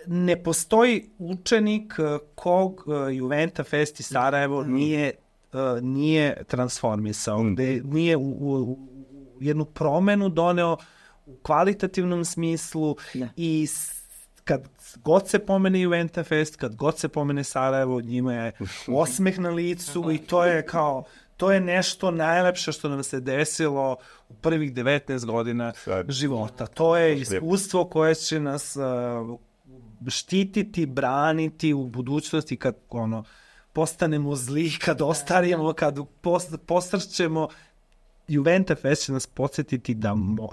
ne postoji učenik kog Juventa Fest iz Sarajevo nije transformisao, gde nije u jednu promenu doneo u kvalitativnom smislu i kad god se pomene Juventa Fest, kad god se pomene Sarajevo, njima je osmeh na licu i to je nešto najlepše što nam se desilo u prvih 19 godina života. To je iskustvo koje će nas štititi, braniti u budućnosti kad postanemo zli, kad ostarimo, kad posrćemo. Juventa Fest će nas podsjetiti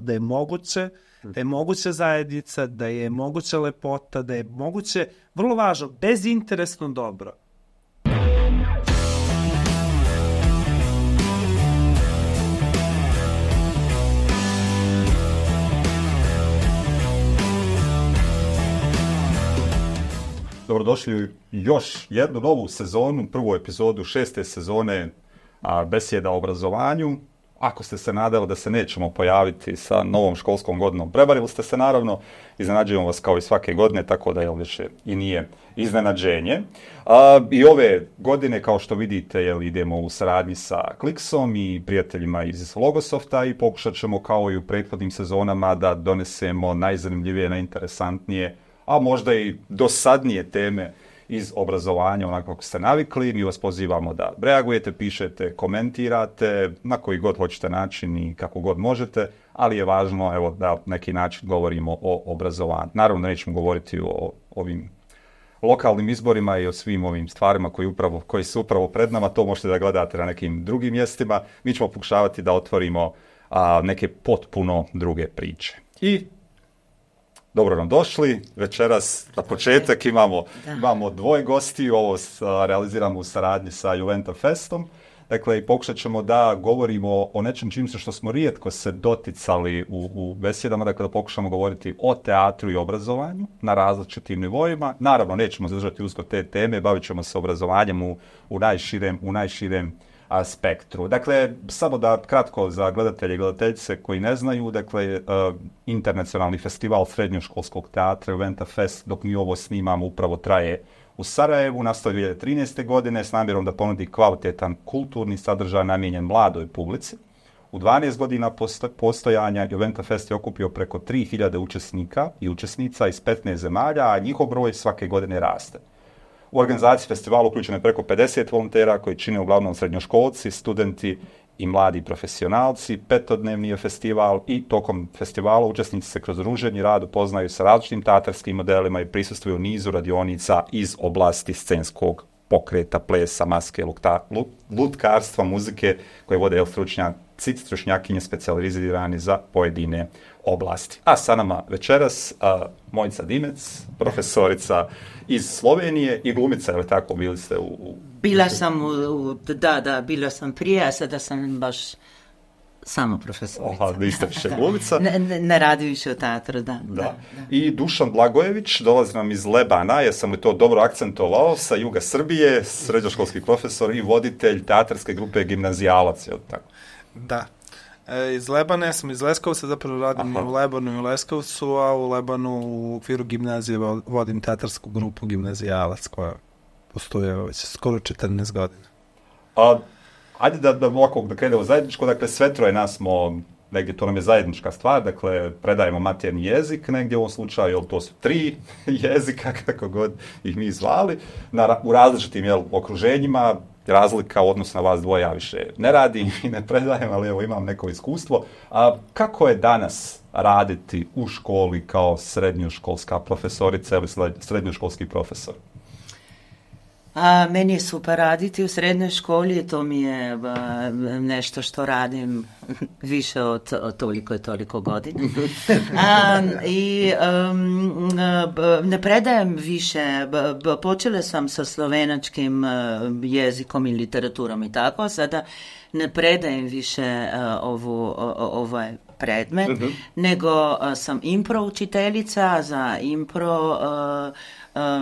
da je moguće zajednica, da je moguća lepota, da je moguće, vrlo važno, bezinteresno dobro. Dobrodošli u još jednu novu sezonu, prvu epizodu 6. sezone Besjeda o obrazovanju. Ako ste se nadali da se nećemo pojaviti sa novom školskom godinom, prevarili ste se naravno, iznenađujemo vas kao i svake godine, tako da više i nije iznenađenje. I ove godine, kao što vidite, idemo u saradnji sa Kliksom i prijateljima iz Logosofta i pokušat ćemo kao i u prethodnim sezonama da donesemo najzanimljivije, najinteresantnije, a možda i dosadnije teme iz obrazovanja, onako kako ste navikli. Mi vas pozivamo da reagujete, pišete, komentirate, na koji god hoćete način i kako god možete, ali je važno da na neki način govorimo o obrazovanju. Naravno, nećemo govoriti o ovim lokalnim izborima i o svim ovim stvarima koji su upravo pred nama, to možete da gledate na nekim drugim mjestima. Mi ćemo pokušavati da otvorimo neke potpuno druge priče. I dobro nam došli. Večeras na početak imamo dvoje gosti. Ovo realiziramo u saradnji sa Juventa Festom. Dakle, i pokušat ćemo da govorimo o nečem što smo rijetko se doticali u besjedama. Dakle, da pokušamo govoriti o teatru i obrazovanju na različitim nivoima. Naravno, nećemo zadržati usko te teme. Bavit ćemo se obrazovanjem u najširem spektru. Dakle, samo da kratko za gledatelje i gledateljice koji ne znaju, dakle, internacionalni festival srednjoškolskog teatra Juventa Fest, dok mi ovo snimamo, upravo traje u Sarajevu, nastao 2013. godine s namjerom da ponudi kvalitetan kulturni sadržaj namijenjen mladoj publici. U 12 godina postojanja Juventa Fest je okupio preko 3000 učesnika i učesnica iz 15 zemalja, a njihov broj svake godine raste. U organizaciji festivala uključeno je preko 50 volontera koji čine uglavnom srednjoškolci, studenti i mladi profesionalci. 5-dnevni je festival i tokom festivala učesnici se kroz druženje i rad upoznaju sa različitim teatarskim modelima i prisustvuju nizu radionica iz oblasti scenskog pokreta, plesa, maske, lutkarstva, muzike koje vode stručnjakinje specijalizirani za pojedine oblasti. A sa nama večeras Mojica Dimec, profesorica iz Slovenije i glumica, ali tako, bili ste u... Bila sam bila sam prije, a sada sam baš samo profesorica. Aha, niste više glumica. Ne radi više u teatru, da. I Dušan Blagojević, dolazi nam iz Lebana, jesam li to dobro akcentovao, sa juga Srbije, srednjoškolski profesor i voditelj teatarske grupe Gimnazijalac, je li tako? Da. Iz Lebana, ja sam iz Leskovca, zapravo radim u Lebanu i u Leskovcu, a u Lebanu u okviru gimnazije vodim teatarsku grupu Gimnazijalac koja postoje već skoro 14 godina. Ajde da ovako da krenemo zajedničko, dakle sve troje nas smo, negdje to nam je zajednička stvar, dakle predajemo maternji jezik, negdje u ovom slučaju, to su 3 jezika, kako god ih mi zvali, u različitim okruženjima. Razlika u odnosu na vas dvoje, ja više ne radim i ne predajem, ali evo imam neko iskustvo. Kako je danas raditi u školi kao srednjoškolska profesorica ili srednjoškolski profesor? Meni je super raditi u srednjoj školi, to mi je nešto što radim više od toliko godina. I ne predajem više, počela sam sa slovenačkim jezikom i literaturom i tako, sada ne predajem više ovaj predmet, nego sam impro učiteljica za impro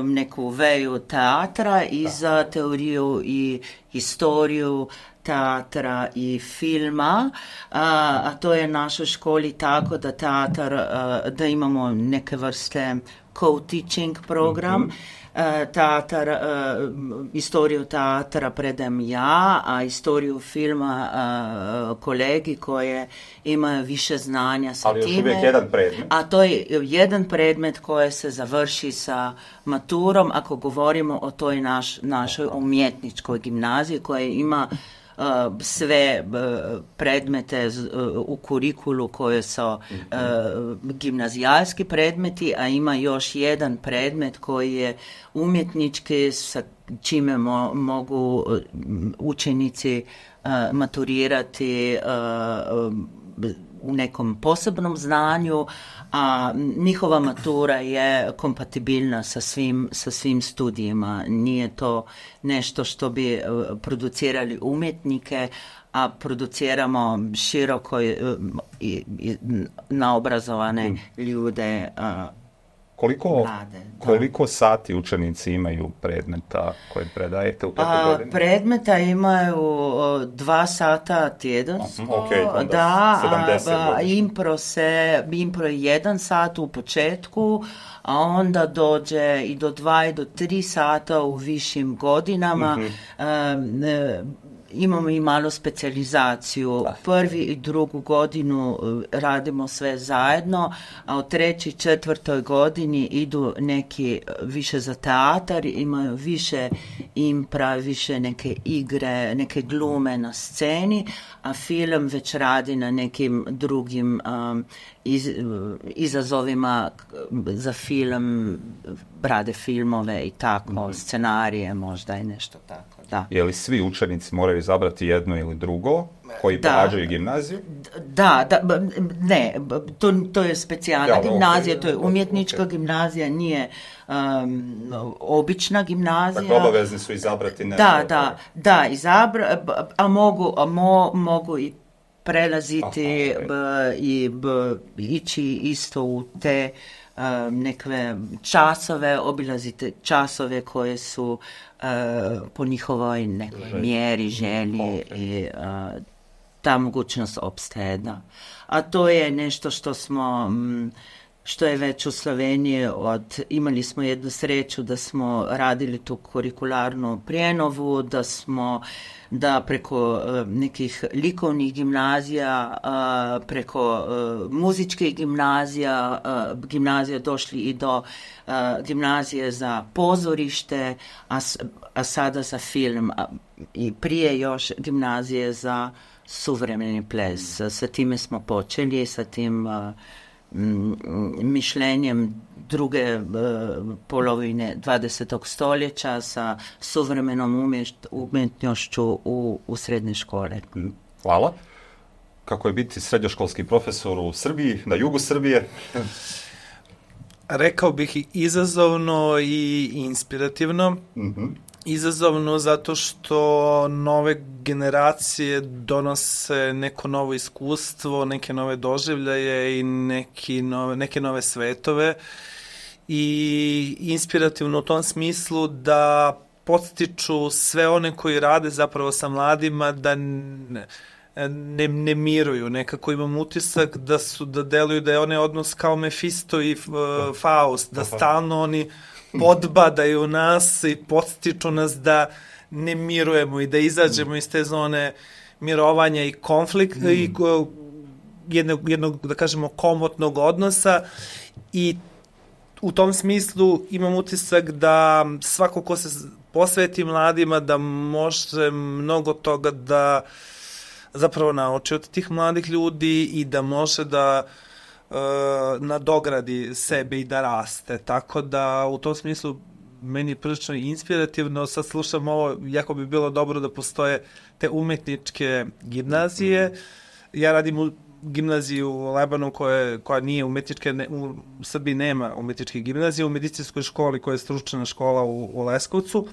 neku veju teatra i za teoriju i historiju teatra i filma, a to je našoj školi tako da teatar, da imamo neke vrste co-teaching program. Teatar, istoriju teatra predajem ja, a istoriju filma kolegi koje imaju više znanja sa ali time. Ali još uvijek jedan predmet. A to je jedan predmet koji se završi sa maturom, ako govorimo o toj našoj umjetničkoj gimnaziji koja ima sve predmete u kurikulu koje su gimnazijalski predmeti, a ima još jedan predmet koji je umjetnički sa čime mogu učenici maturirati u nekom posebnom znanju, a njihova matura je kompatibilna sa svim studijima. Nije to nešto što bi producirali umjetnike, a produciramo široko naobrazovane ljude. Koliko sati učenici imaju predmeta koje predajete u 5. godini? Predmeta imaju 2 sata tjedansko. Impro je 1 sat u početku, a onda dođe i do 2 i do 3 sata u višim godinama. Imamo i malo specijalizaciju. 1. i 2. godinu radimo sve zajedno, a u 3. i 4. godini idu neki više za teatar, imaju više impra, više neke igre, neke glume na sceni, a film već radi na nekim drugim izazovima za film, rade filmove i tako, scenarije možda i nešto tako. Da. Je li svi učenici moraju izabrati jedno ili drugo koji pohađaju gimnaziju? Ne, to je specijalna gimnazija, to je umjetnička gimnazija, nije obična gimnazija. Dakle, obavezni su izabrati nešto. A mogu i prelaziti i ići isto u te nekve časove, obilazite časove koje su po njihovoj nekoj mjeri, želji i ta mogućnost opstaje, da. A to je nešto što je već u Sloveniji imali smo jednu sreću da smo radili tu kurikularnu prijenovu, da preko nekih likovnih gimnazija, preko muzičkih gimnazija došli i do gimnazije za pozorište, a sada za film, i prije još gimnazije za suvremeni ples. Sa time smo počeli, sa tim mišljenjem druge polovine 20. stoljeća sa suvremenom umjetnošću u srednje škole. Hvala. Kako je biti srednjoškolski profesor u Srbiji, na jugu Srbije? Rekao bih i izazovno i inspirativno. Izazovno zato što nove generacije donose neko novo iskustvo, neke nove doživljaje i neke nove svetove, i inspirativno u tom smislu da podstiču sve one koji rade zapravo sa mladima da ne miruju. Nekako imam utisak da deluju da je onaj odnos kao Mefisto i Faust, da stalno oni podbadaju nas i podstiču nas da ne mirujemo i da izađemo iz te zone mirovanja i konflikta i jednog, da kažemo, komotnog odnosa, i u tom smislu imam utisak da svako ko se posveti mladima da može mnogo toga da zapravo nauči od tih mladih ljudi i da može da nadogradi sebe i da raste. Tako da u tom smislu meni je prilično inspirativno. Sad slušam ovo, jako bi bilo dobro da postoje te umetničke gimnazije. Ja radim u gimnaziji u Lebanu koja nije umetnička, u Srbiji nema umetničke gimnazije, u medicinskoj školi koja je stručna škola u Leskovcu,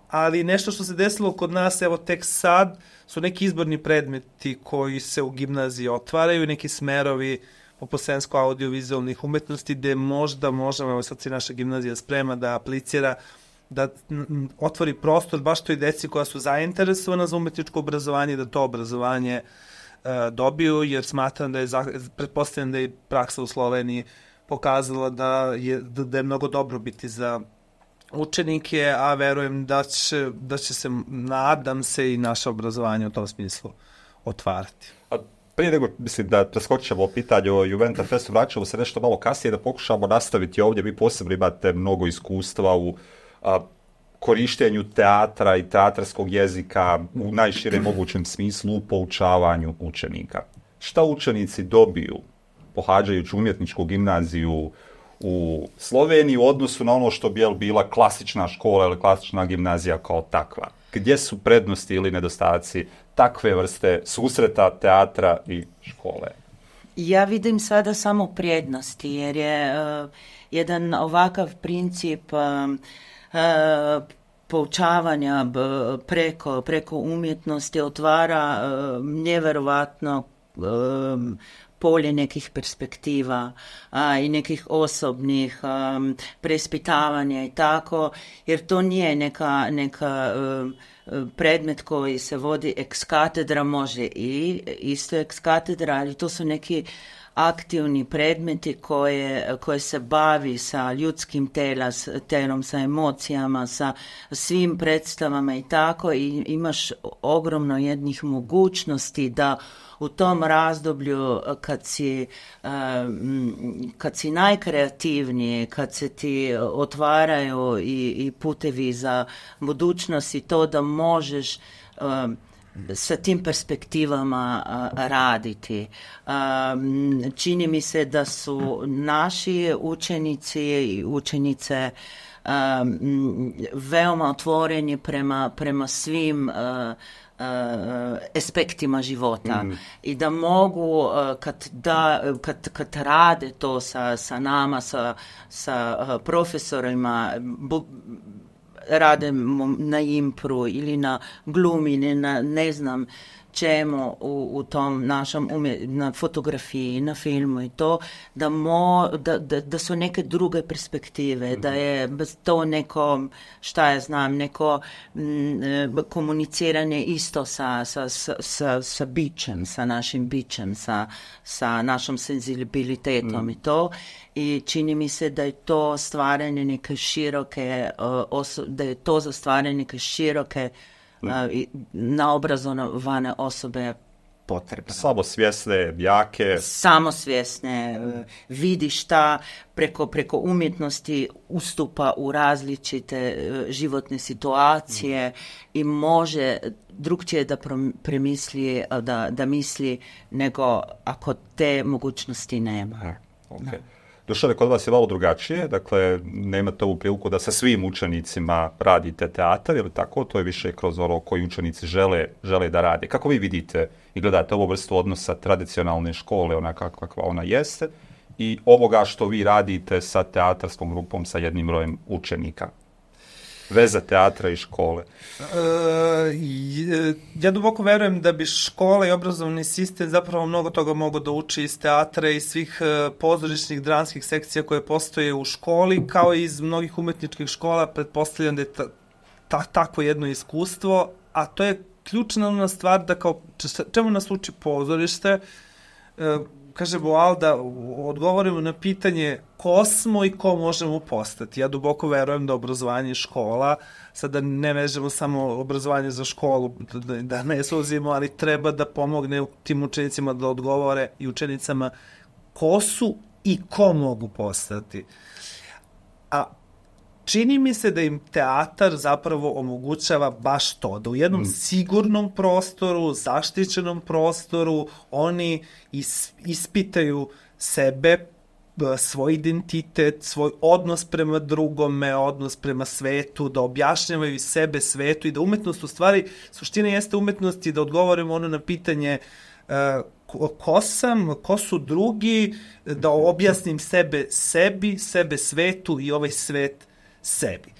ali nešto što se desilo kod nas, evo tek sad, su neki izborni predmeti koji se u gimnaziji otvaraju, neki smerovi poput scensko-audiovizualnih umetnosti, gde možda možemo, evo sad se naša gimnazija sprema da aplicira, da otvori prostor baš toj deci koja su zainteresovana za umetničko obrazovanje, da to obrazovanje dobiju, jer smatram da pretpostavljam da je praksa u Sloveniji pokazala da je mnogo dobro biti za učenike, a verujem da će se, nadam se, i naše obrazovanje u tom smislu otvarati. A prije nego, mislim, da preskočimo o pitanju o Juventa Festu, vraćamo se nešto malo kasnije da pokušamo nastaviti ovdje. Vi posebno imate mnogo iskustva u korištenju teatra i teatarskog jezika u najširem mogućem smislu u poučavanju učenika. Šta učenici dobiju pohađajući umjetničku gimnaziju u Sloveniji u odnosu na ono što bi bila klasična škola ili klasična gimnazija kao takva? Gdje su prednosti ili nedostaci takve vrste susreta teatra i škole? Ja vidim sada samo prednosti, jer je jedan ovakav princip poučavanja preko umjetnosti otvara nevjerovatno polje nekih perspektiva i nekih osobnih preispitavanja i tako, jer to nije neka predmet koji se vodi ex katedra, može i isto ex katedra, ali to su neki aktivni predmeti koje se bavi sa ljudskim telom, sa emocijama, sa svim predstavama i tako, i imaš ogromno jednih mogućnosti da u tom razdoblju kad si najkreativniji, kad se ti otvaraju i putevi za budućnost i to da možeš sa tim perspektivama raditi. Čini mi se da su naši učenici i učenice veoma otvoreni prema svim aspektima života i da mogu kad rade to sa nama, sa profesorima, rade na impru ili na glumi ili na ne znam čemu u tom našem na fotografiji, na filmu i to, da su neke druge perspektive, da je to neko, šta ja znam, neko komuniciranje isto sa bićem, sa našim bićem, sa našom senzibilitetom i to. I čini mi se da je to stvaranje neke široke, da je to za stvaranje neke široke naobrazovane osobe potrebno. Samosvjesne, jake. Samosvjesne, vidi šta preko umjetnosti ustupa u različite životne situacije i može drugčije da premisli, da misli nego ako te mogućnosti nema. Okay. Dušane, kod vas je malo drugačije, dakle, nemate ovu priliku da sa svim učenicima radite teatar, ili tako? To je više kroz ono koji učenici žele da rade. Kako vi vidite i gledate ovu vrstu odnosa tradicionalne škole, onaka kakva ona jeste, i ovoga što vi radite sa teatarskom grupom, sa jednim brojem učenika? Veza teatra i škole. Ja duboko verujem da bi škola i obrazovni sistem zapravo mnogo toga mogu da uči iz teatra i svih pozorišnih dramskih sekcija koje postoje u školi, kao i iz mnogih umetničkih škola. Pretpostavljam da je takvo jedno iskustvo, a to je ključna stvar da kao čemu nas uči pozorište. Kaže Boal da odgovorimo na pitanje ko smo i ko možemo postati. Ja duboko verujem da obrazovanje škola, sada ne vežemo samo obrazovanje za školu, da ne suzimo, ali treba da pomogne tim učenicima da odgovore i učenicama ko su i ko mogu postati. A čini mi se da im teatar zapravo omogućava baš to, da u jednom sigurnom prostoru, zaštićenom prostoru, oni ispitaju sebe, svoj identitet, svoj odnos prema drugome, odnos prema svetu, da objašnjavaju sebe svetu i da umetnost, u stvari, suština jeste umetnosti da odgovorimo ono na pitanje ko sam, ko su drugi, da objasnim sebe sebi, sebe svetu i ovaj svet sebi.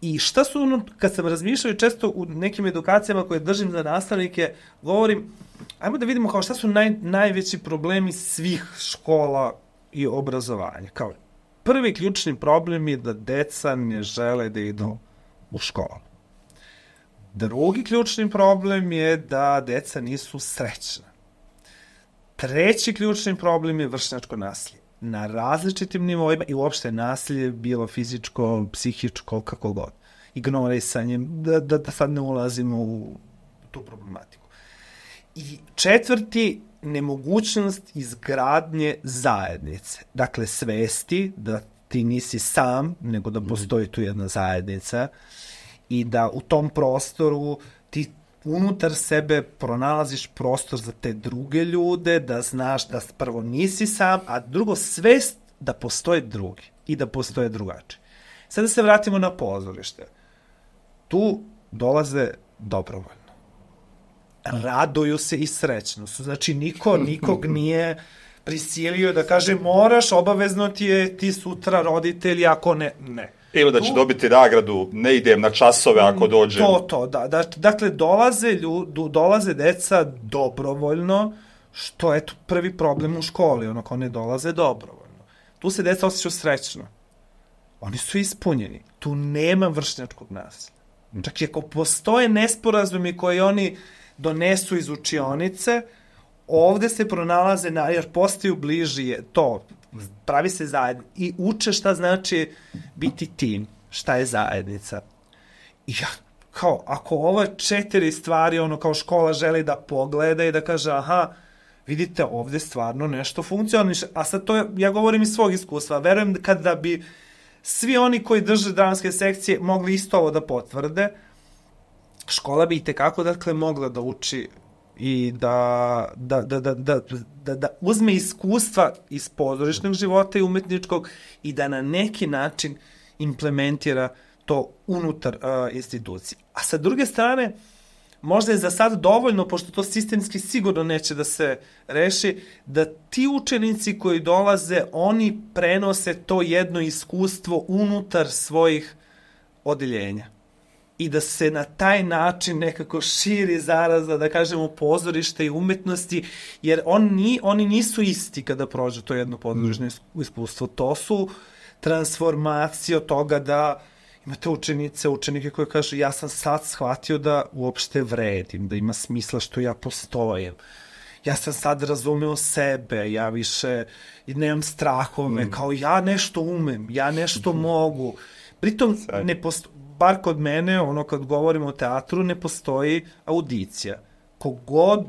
I šta su ono, kad sam razmišljao i često u nekim edukacijama koje držim za nastavnike, govorim, ajmo da vidimo kao šta su najveći problemi svih škola i obrazovanja. Kao prvi ključni problem je da deca ne žele da idu u školu. Drugi ključni problem je da deca nisu srećna. Treći ključni problem je vršnjačko nasilje. na različitim nivoima i uopšte nasilje, bilo fizičko, psihičko, kako god. Ignorisanjem, da sad ne ulazimo u tu problematiku. I četvrti, nemogućnost izgradnje zajednice. Dakle, svesti da ti nisi sam, nego da postoji tu jedna zajednica i da u tom prostoru ti unutar sebe pronalaziš prostor za te druge ljude, da znaš da prvo nisi sam, a drugo svest da postoje drugi i da postoje drugačiji. Sad da se vratimo na pozorište. Tu dolaze dobrovoljno. Raduju se i srećno su. Znači, nikog nije prisilio da kaže moraš, obavezno ti sutra roditelji, ako ne. Ili da će dobiti nagradu, ne idem na časove ako dođem. Da. Dakle, dolaze deca dobrovoljno, što je prvi problem u školi, ako ne dolaze dobrovoljno. Tu se deca osjećaju srećno. Oni su ispunjeni. Tu nema vršnjačkog nasilja. Čak i ako postoje nesporazumi koji oni donesu iz učionice, ovde se pronalaze, jer postaju bliži to, pravi se zajednica i uče šta znači biti tim, šta je zajednica. I kao, ako ove 4 stvari, kao škola želi da pogleda i da kaže, aha, vidite, ovde stvarno nešto funkcioniše, a sad to ja govorim iz svog iskustva, verujem kada bi svi oni koji drže dramske sekcije mogli isto ovo da potvrde, škola bi i tekako, dakle, mogla da uči i da uzme iskustva iz pozorišnog života i umetničkog i da na neki način implementira to unutar institucije. A sa druge strane, možda je za sad dovoljno, pošto to sistemski sigurno neće da se reši, da ti učenici koji dolaze, oni prenose to jedno iskustvo unutar svojih odeljenja. I da se na taj način nekako širi zaraza, da kažemo, pozorište i umetnosti, jer oni nisu isti kada prođe to jedno pozorišno iskustvo. To su transformacije od toga da imate učenike koji kažu ja sam sad shvatio da uopšte vredim, da ima smisla što ja postojim. Ja sam sad razumeo sebe, ja više nemam strahove, kao ja nešto umem, ja nešto mogu. Pritom bar kod mene, kad govorimo o teatru, ne postoji audicija. Kogod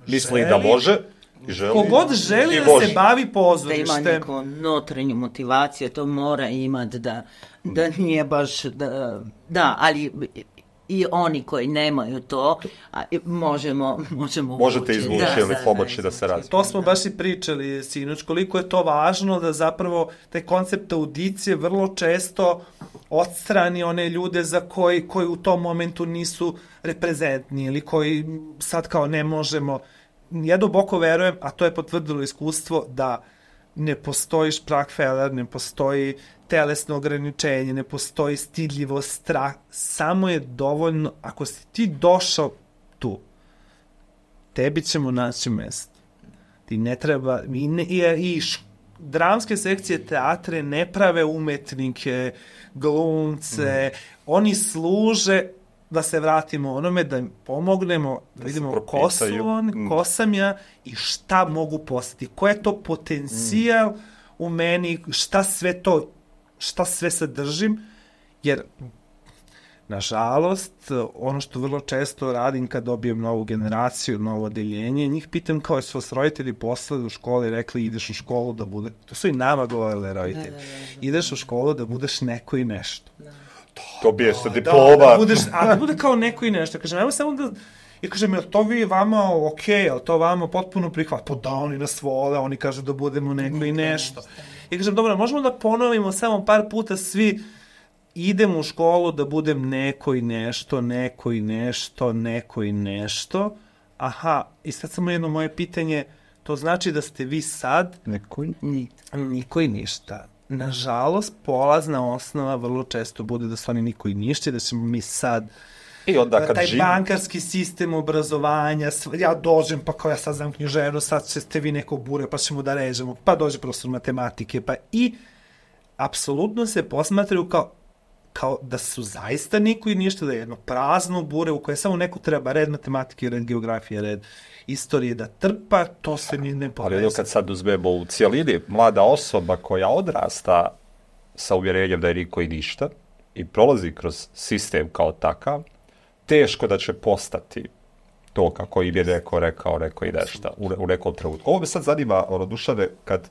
misli da može i želi. Kogod želi da se bavi pozorištem. Da ima neku notrenju motivaciju, to mora imati da nije baš... Da, ali i oni koji nemaju to, možemo možete izvući ili pomoći da se razvije. To smo baš i pričali, sinoć, koliko je to važno da zapravo taj koncept audicije vrlo često odstrani one ljude za koji u tom momentu nisu reprezentni ili koji sad kao ne možemo. Ja duboko verujem, a to je potvrdilo iskustvo, da ne postoji Sprachfehler, ne postoji telesno ograničenje, ne postoji stidljivost, strah, samo je dovoljno, ako si ti došao tu, tebi ćemo naći mesto. Ti ne treba, i dramske sekcije teatre ne prave umetnike, glumce, oni služe, da se vratimo onome, da im pomognemo, da vidimo ko sam ja i šta mogu postati, ko je to potencijal u meni, šta sve sadržim, jer nažalost, ono što vrlo često radim kad dobijem novu generaciju, novo odeljenje, njih pitam kao su vas roditelji poslali u školi i rekli ideš u školu da bude, to su i nama govorili roditelji, ideš u školu da budeš neko i nešto. Dobije se diploma. Da bude kao neko i nešto. Kažem, evo samo da... I kažem, je to vi vama okej, je to vama potpuno prihvat? Pa da, oni nas vole, oni kažu da budemo neko i nešto. I kažem, dobro, možemo da ponovimo samo par puta svi, idem u školu da budem neko i nešto, neko i nešto, neko i nešto. Aha, i sad samo jedno moje pitanje, to znači da ste vi sad... Niko i ništa. Nažalost, polazna osnova vrlo često bude da su oni niko i ništa, da ćemo mi sad i onda kad taj bankarski sistem obrazovanja, ja dođem pa kao ja sad znam književno, sad ćete vi neko bure pa ćemo da režemo, pa dođe profesor matematike, pa i apsolutno se posmatraju kao kao da su zaista niko i ništa, da je jedno prazno bure u koje samo neko treba red matematike, red geografije, red istorije da trpa, to se ni ne povesi. Ali kad sad uzmemo u cijelini, mlada osoba koja odrasta sa uvjerenjem da je niko i ništa i prolazi kroz sistem kao takav, teško da će postati to kako im je neko rekao i nešto u nekom trenutku. Ovo me sad zanima, Dušane, kad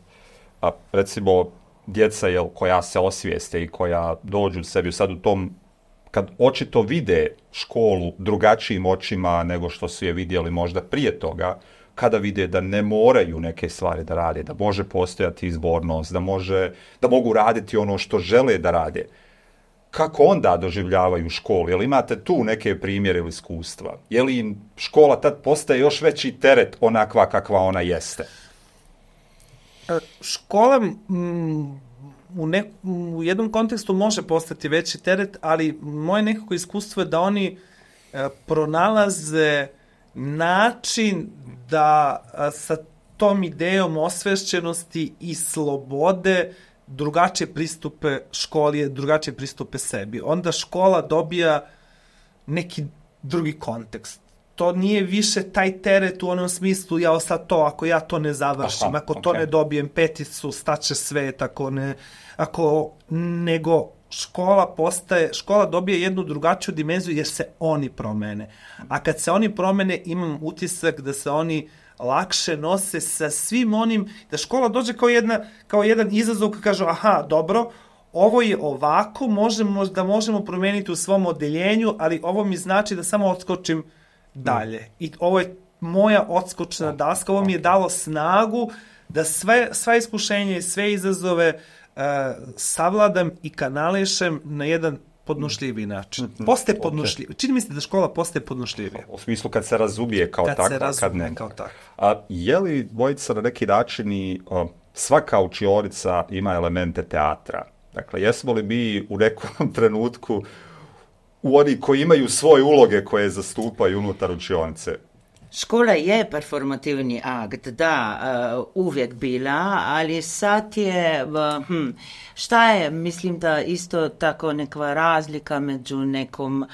recimo djeca koja se osvijeste i koja dođu sebi sad u tom, kad očito vide školu drugačijim očima nego što su je vidjeli možda prije toga, kada vide da ne moraju neke stvari da rade, da može postojati izbornost, da mogu raditi ono što žele da rade. Kako onda doživljavaju školu? Jel imate tu neke primjere ili iskustva? Je li im škola tad postaje još veći teret onakva kakva ona jeste? Škola u jednom kontekstu može postati veći teret, ali moje nekako iskustvo je da oni pronalaze način da sa tom idejom osvešćenosti i slobode drugačije pristupe školi, drugačije pristupe sebi. Onda škola dobija neki drugi kontekst. To nije više taj teret u onom smislu, ja sad to, ako ja to ne završim, ako to ne dobijem peticu, staće svet, nego škola dobije jednu drugačiju dimenziju jer se oni promene. A kad se oni promene, imam utisak da se oni lakše nose sa svim onim, da škola dođe kao jedan izazov koji kaže, aha, dobro, ovo je ovako, možemo promeniti u svom odeljenju, ali ovo mi znači da samo odskočim dalje. I ovo je moja odskočna daska, ovo mi je dalo snagu da sva iskušenja i sve izazove savladam i kanališem na jedan podnošljiviji način. Postaje podnošljiviji. Čini mi se da škola postaje podnošljivija. U smislu kad se razumije kao takva, kad ne. Je li, dvojica, na neki način i svaka učionica ima elemente teatra? Dakle, jesmo li mi u nekom trenutku u oni koji imaju svoje uloge koje zastupaju unutar učionice? Škola je performativni akt, da, uvijek bila, ali sad je, šta je, mislim da isto tako neka razlika među nekom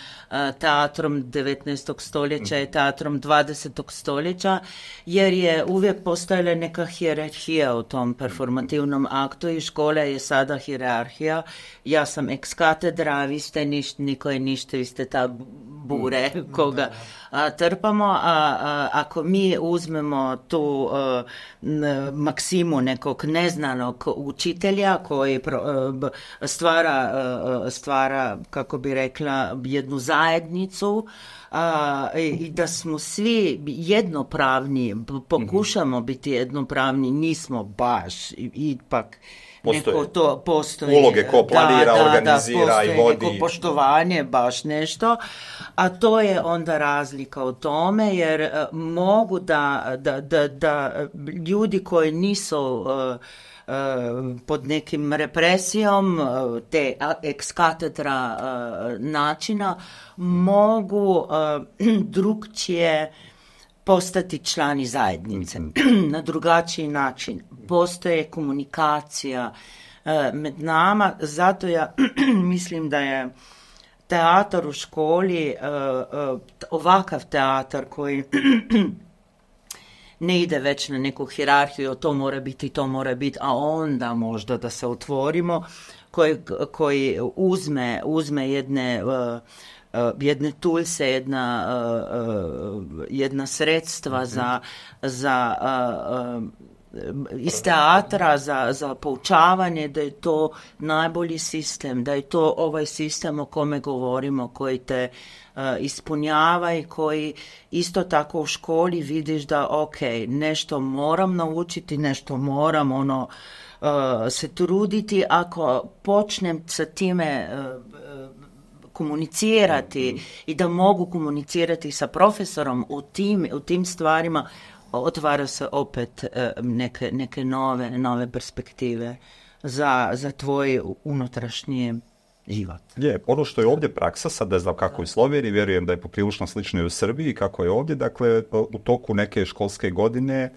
teatrom 19. stoljeća i teatrom 20. stoljeća, jer je uvijek postojala neka hijerarhija u tom performativnom aktu i škola je sada hijerarhija. Ja sam ex katedra, vi ste niko je ništa, vi ste ta bure koga trpamo, ako mi uzmemo tu maksimu nekog neznanog učitelja koji stvara, kako bi rekla, jednu zajednicu i da smo svi jednopravni, pokušamo biti jednopravni, nismo baš, ipak neko to postoji. Uloge ko planira, organizira i vodi. Neko poštovanje, baš nešto. A to je onda razlika u tome, jer mogu da ljudi koji nisu pod nekim represijom te ex katedra načina mogu drugčije postati člani zajednice na drugačiji način. Postoje komunikacija med nama, zato ja mislim da je teatar u školi, ovakav teatar koji ne ide već na neku hijerarhiju, to mora biti, a onda možda da se otvorimo, koji uzme jedne tulse, jedna sredstva iz teatra za poučavanje, da je to najbolji sistem, da je to ovaj sistem o kome govorimo, koji te ispunjava i koji isto tako u školi vidiš da ok, nešto moram naučiti, nešto moram se truditi, ako počnem sa time komunicirati i da mogu komunicirati sa profesorom u tim stvarima, otvara se opet neke nove perspektive za tvoj unutrašnji život. Je, ono što je ovdje praksa, sad ne znam kako je u Sloveniji, vjerujem da je poprilično slično i u Srbiji kako je ovdje, dakle u toku neke školske godine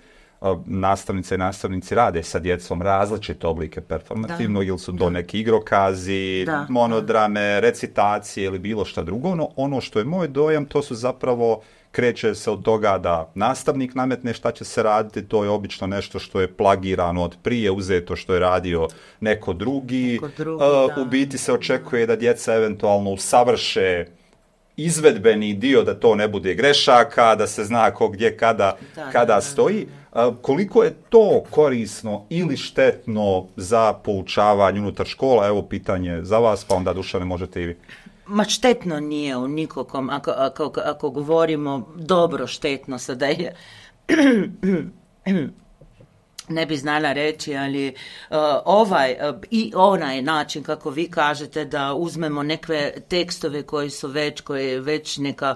nastavnice i nastavnici rade sa djecom različite oblike performativno, ili su to neki igrokazi, monodrame, recitacije ili bilo šta drugo. No, ono što je moj dojam, to su zapravo, kreće se od toga da nastavnik nametne šta će se raditi, to je obično nešto što je plagirano od prije, uzeto što je radio neko drugi. U biti se očekuje da djeca eventualno usavrše izvedbeni dio, da to ne bude grešaka, da se zna ko gdje kada stoji. Koliko je to korisno ili štetno za poučavanje unutar škola? Evo pitanje za vas, pa onda Dušane možete i vi. Ma štetno nije u nikokom, ako govorimo dobro štetno, sada je ne bi znala reći, ali i onaj način kako vi kažete da uzmemo neke tekstove koji je već neka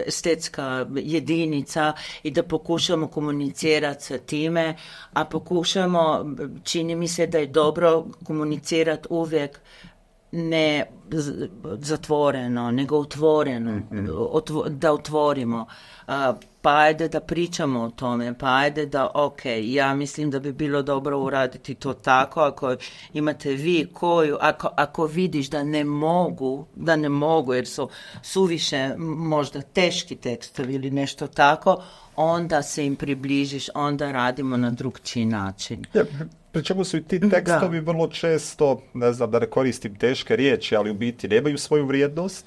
estetska jedinica i da pokušamo komunicirati sa time, a pokušamo, čini mi se da je dobro komunicirati uvijek ne zatvoreno, nego otvoreno, da otvorimo. Pa ajde da pričamo o tome, pa ajde da, ja mislim da bi bilo dobro uraditi to tako, ako imate vi ako vidiš da ne mogu, jer su suviše možda teški tekstovi ili nešto tako, onda se im približiš, onda radimo na drugčiji način. Pri čemu su i ti tekstovi vrlo često, ne znam da ne koristim teške riječi, ali u biti nemaju svoju vrijednost,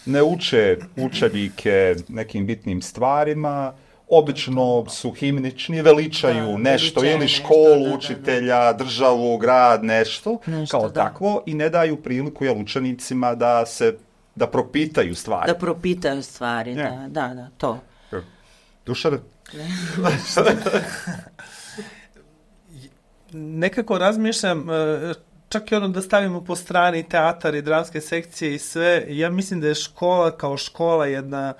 ne uče učenike nekim bitnim stvarima, obično su himnični, veličaju nešto, ili školu, učitelja, državu, grad, nešto kao takvo, i ne daju priliku učenicima da propitaju stvari. Da propitaju stvari, da, to. Dušan? Nekako razmišljam, čak i da stavimo po strani teatar i dramske sekcije i sve, ja mislim da je škola kao škola jedna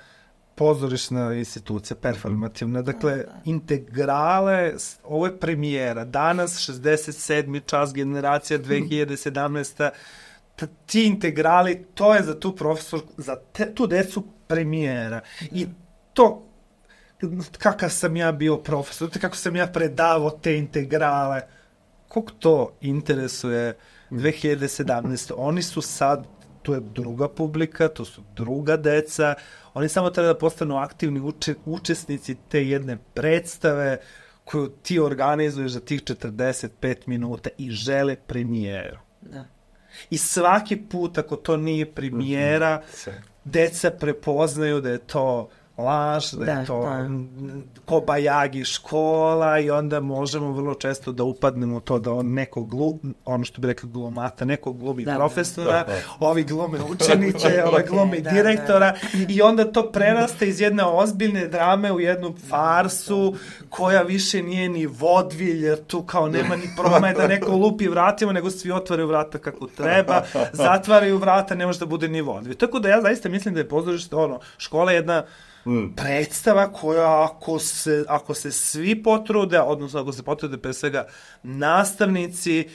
pozorišna institucija, performativna. Dakle, integrale, ovo je premijera. Danas, 67. čas, generacija 2017. Ti integrali, to je za tu profesorku, za tu decu premijera. I to, kakav sam ja bio profesor, kako sam ja predavao te integrale, koliko to interesuje 2017. Oni su sad, to je druga publika, to su druga deca, oni samo treba da postanu aktivni učesnici te jedne predstave koju ti organizuješ za tih 45 minuta i žele premijeru. Da. I svaki put ako to nije premijera, deca prepoznaju da je to laž, da je to kobajagi škola, i onda možemo vrlo često da upadnemo u to da on neko ono što bi rekao glumata, neko glumi profesora, ovi glume učenice, ovi glumi direktora, i onda to preraste iz jedne ozbiljne drame u jednu farsu koja više nije ni vodvilj, jer tu kao nema ni promaje da neko lupi vratima, nego svi otvaraju vrata kako treba, zatvaraju vrata, ne može da bude ni vodvilj. Tako da ja zaista mislim da je pozorište, škola je jedna predstava koja ako se svi potrude, odnosno ako se potrude pre svega nastavnici,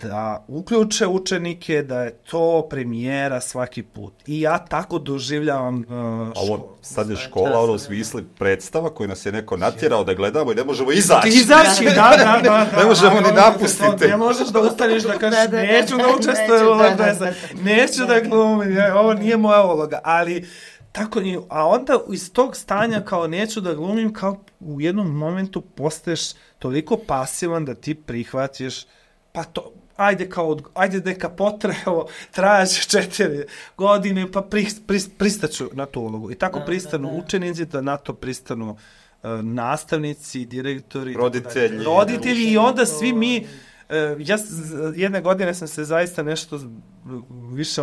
da uključe učenike, da je to premijera svaki put. I ja tako doživljavam školu. Ovo sad je škola, u smislu predstava koju nas je neko natjerao da gledamo i ne možemo izaći. Da. Ne možemo ni napustiti. Ne možeš da ustaneš da kažeš neću da učestvujem u ovoj predstavi, neću da glumim, ovo nije moja uloga, ali tako nije. A onda iz tog stanja kao neću da glumim, kao u jednom momentu postaješ toliko pasivan da ti prihvatiš, pa to, ajde neka potrebo, trajaće 4 godine, pa pristaću na tu ulogu. I tako pristanu učenici, da na to pristanu nastavnici, direktori, roditelji, i onda svi mi, ja jedne godine sam se zaista nešto više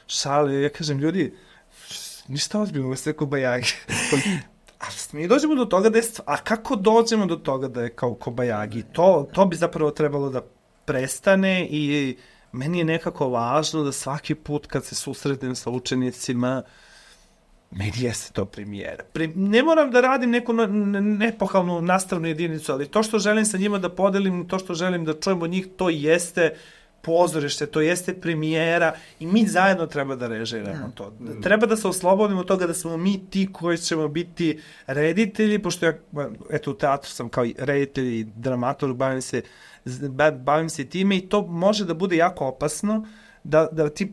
šalio, ja kažem, ljudi, ništa ozbiljno, ovo je sve kobajagi. A mi dođemo do toga da je... A kako dođemo do toga da je kao kobajagi? To bi zapravo trebalo da prestane, i meni je nekako važno da svaki put kad se susretnem sa učenicima, meni jeste to premijera. Ne moram da radim neku nepohalnu nastavnu jedinicu, ali to što želim sa njima da podelim, to što želim da čujem od njih, to jeste pozorište, to jeste premijera i mi zajedno treba da režiramo to. Treba da se oslobodimo toga da smo mi ti koji ćemo biti reditelji, pošto ja, eto, u teatru sam kao reditelj i dramaturg, bavim se time i to može da bude jako opasno da ti